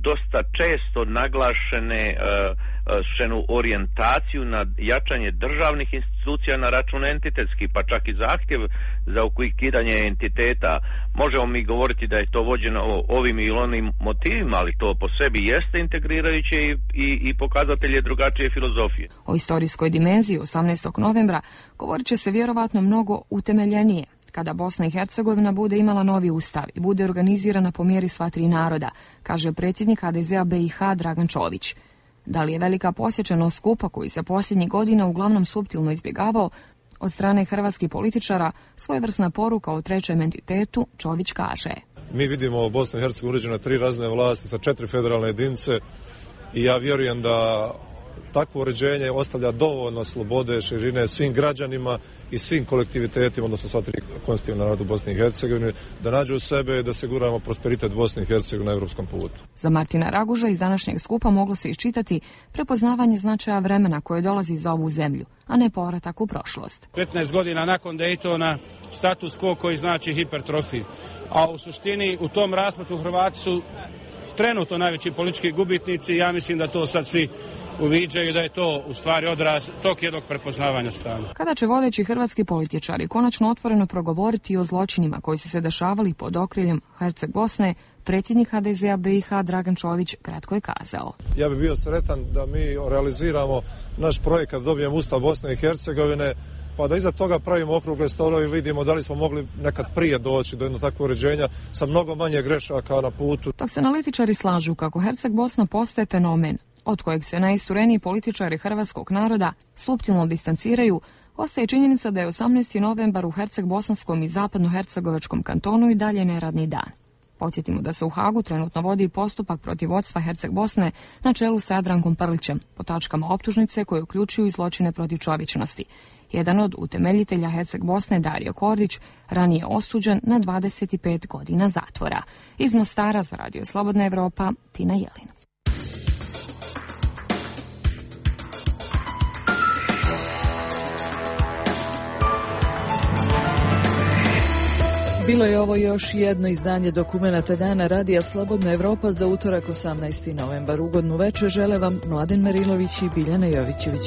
dosta često naglašene šenu orijentaciju na jačanje državnih institucija na račun entitetski, pa čak i zahtjev za ukidanje entiteta. Možemo mi govoriti da je to vođeno ovim ili onim motivima, ali to po sebi jeste integrirajuće i, i, i pokazatelje drugačije filozofije. O istorijskoj dimenziji osamnaestog novembra govorit će se vjerovatno mnogo utemeljenije, kada Bosna i Hercegovina bude imala novi ustav i bude organizirana po mjeri sva tri naroda, kaže predsjednik ha de zea be i ha Dragan Čović. Da li je velika posjećenost skupa koji se posljednjih godina uglavnom suptilno izbjegavao od strane hrvatskih političara, svojevrsna poruka o trećem entitetu, Čović kaže. Mi vidimo Bosnu i Hercegovinu uređena tri razne vlasti sa četiri federalne jedinice i ja vjerujem da takvo uređenje ostavlja dovoljno slobode, širine svim građanima i svim kolektivitetima, odnosno sva tri konstitutivna naroda u Bosni i Hercegovini, da nađu u sebe i da osiguramo prosperitet Bosne i Hercegovine na evropskom putu. Za Martina Raguža iz današnjeg skupa moglo se iščitati prepoznavanje značaja vremena koje dolazi za ovu zemlju, a ne povratak u prošlost. petnaest godina nakon Daytona status quo koji znači hipertrofiju, a u suštini u tom rasplatu Hrvati su trenutno najveći politički gubitnici. Ja mislim da to sad svi uviđaju, da je to u stvari odraz tog jednog prepoznavanja stanja. Kada će vodeći hrvatski političari konačno otvoreno progovoriti o zločinima koji su se dešavali pod okriljem Herceg Bosne, predsjednik ha de zea be i ha Dragan Čović kratko je kazao. Ja bih bio sretan da mi realiziramo naš projekat, dobijemo Ustav Bosne i Hercegovine, pa da iza toga pravimo okrugle stolove i vidimo da li smo mogli nekad prije doći do jednog takvog uređenja sa mnogo manje grešaka na putu. Dok se analitičari slažu kako Herceg Bosna postaje fenomen, od kojeg se najistureniji političari hrvatskog naroda suptilno distanciraju, ostaje činjenica da je osamnaesti novembar u Herceg-Bosanskom i zapadno-hercegovačkom kantonu i dalje neradni dan. Podsjetimo da se u Hagu trenutno vodi postupak protiv vodstva Herceg Bosne na čelu sa Jadrankom Prlićem, po tačkama optužnice koje uključuju i zločine protiv čovječnosti. Jedan od utemeljitelja Herceg Bosne, Dario Kordić, ranije osuđen na dvadeset pet godina zatvora. Iz Mostara za Radio Slobodna Evropa, Tina Jelin. Bilo je ovo još jedno izdanje dokumenata Dana Radija Slobodna Evropa za utorak osamnaesti novembar. Ugodnu večer žele vam Mladen Merilović i Biljana Jovićević.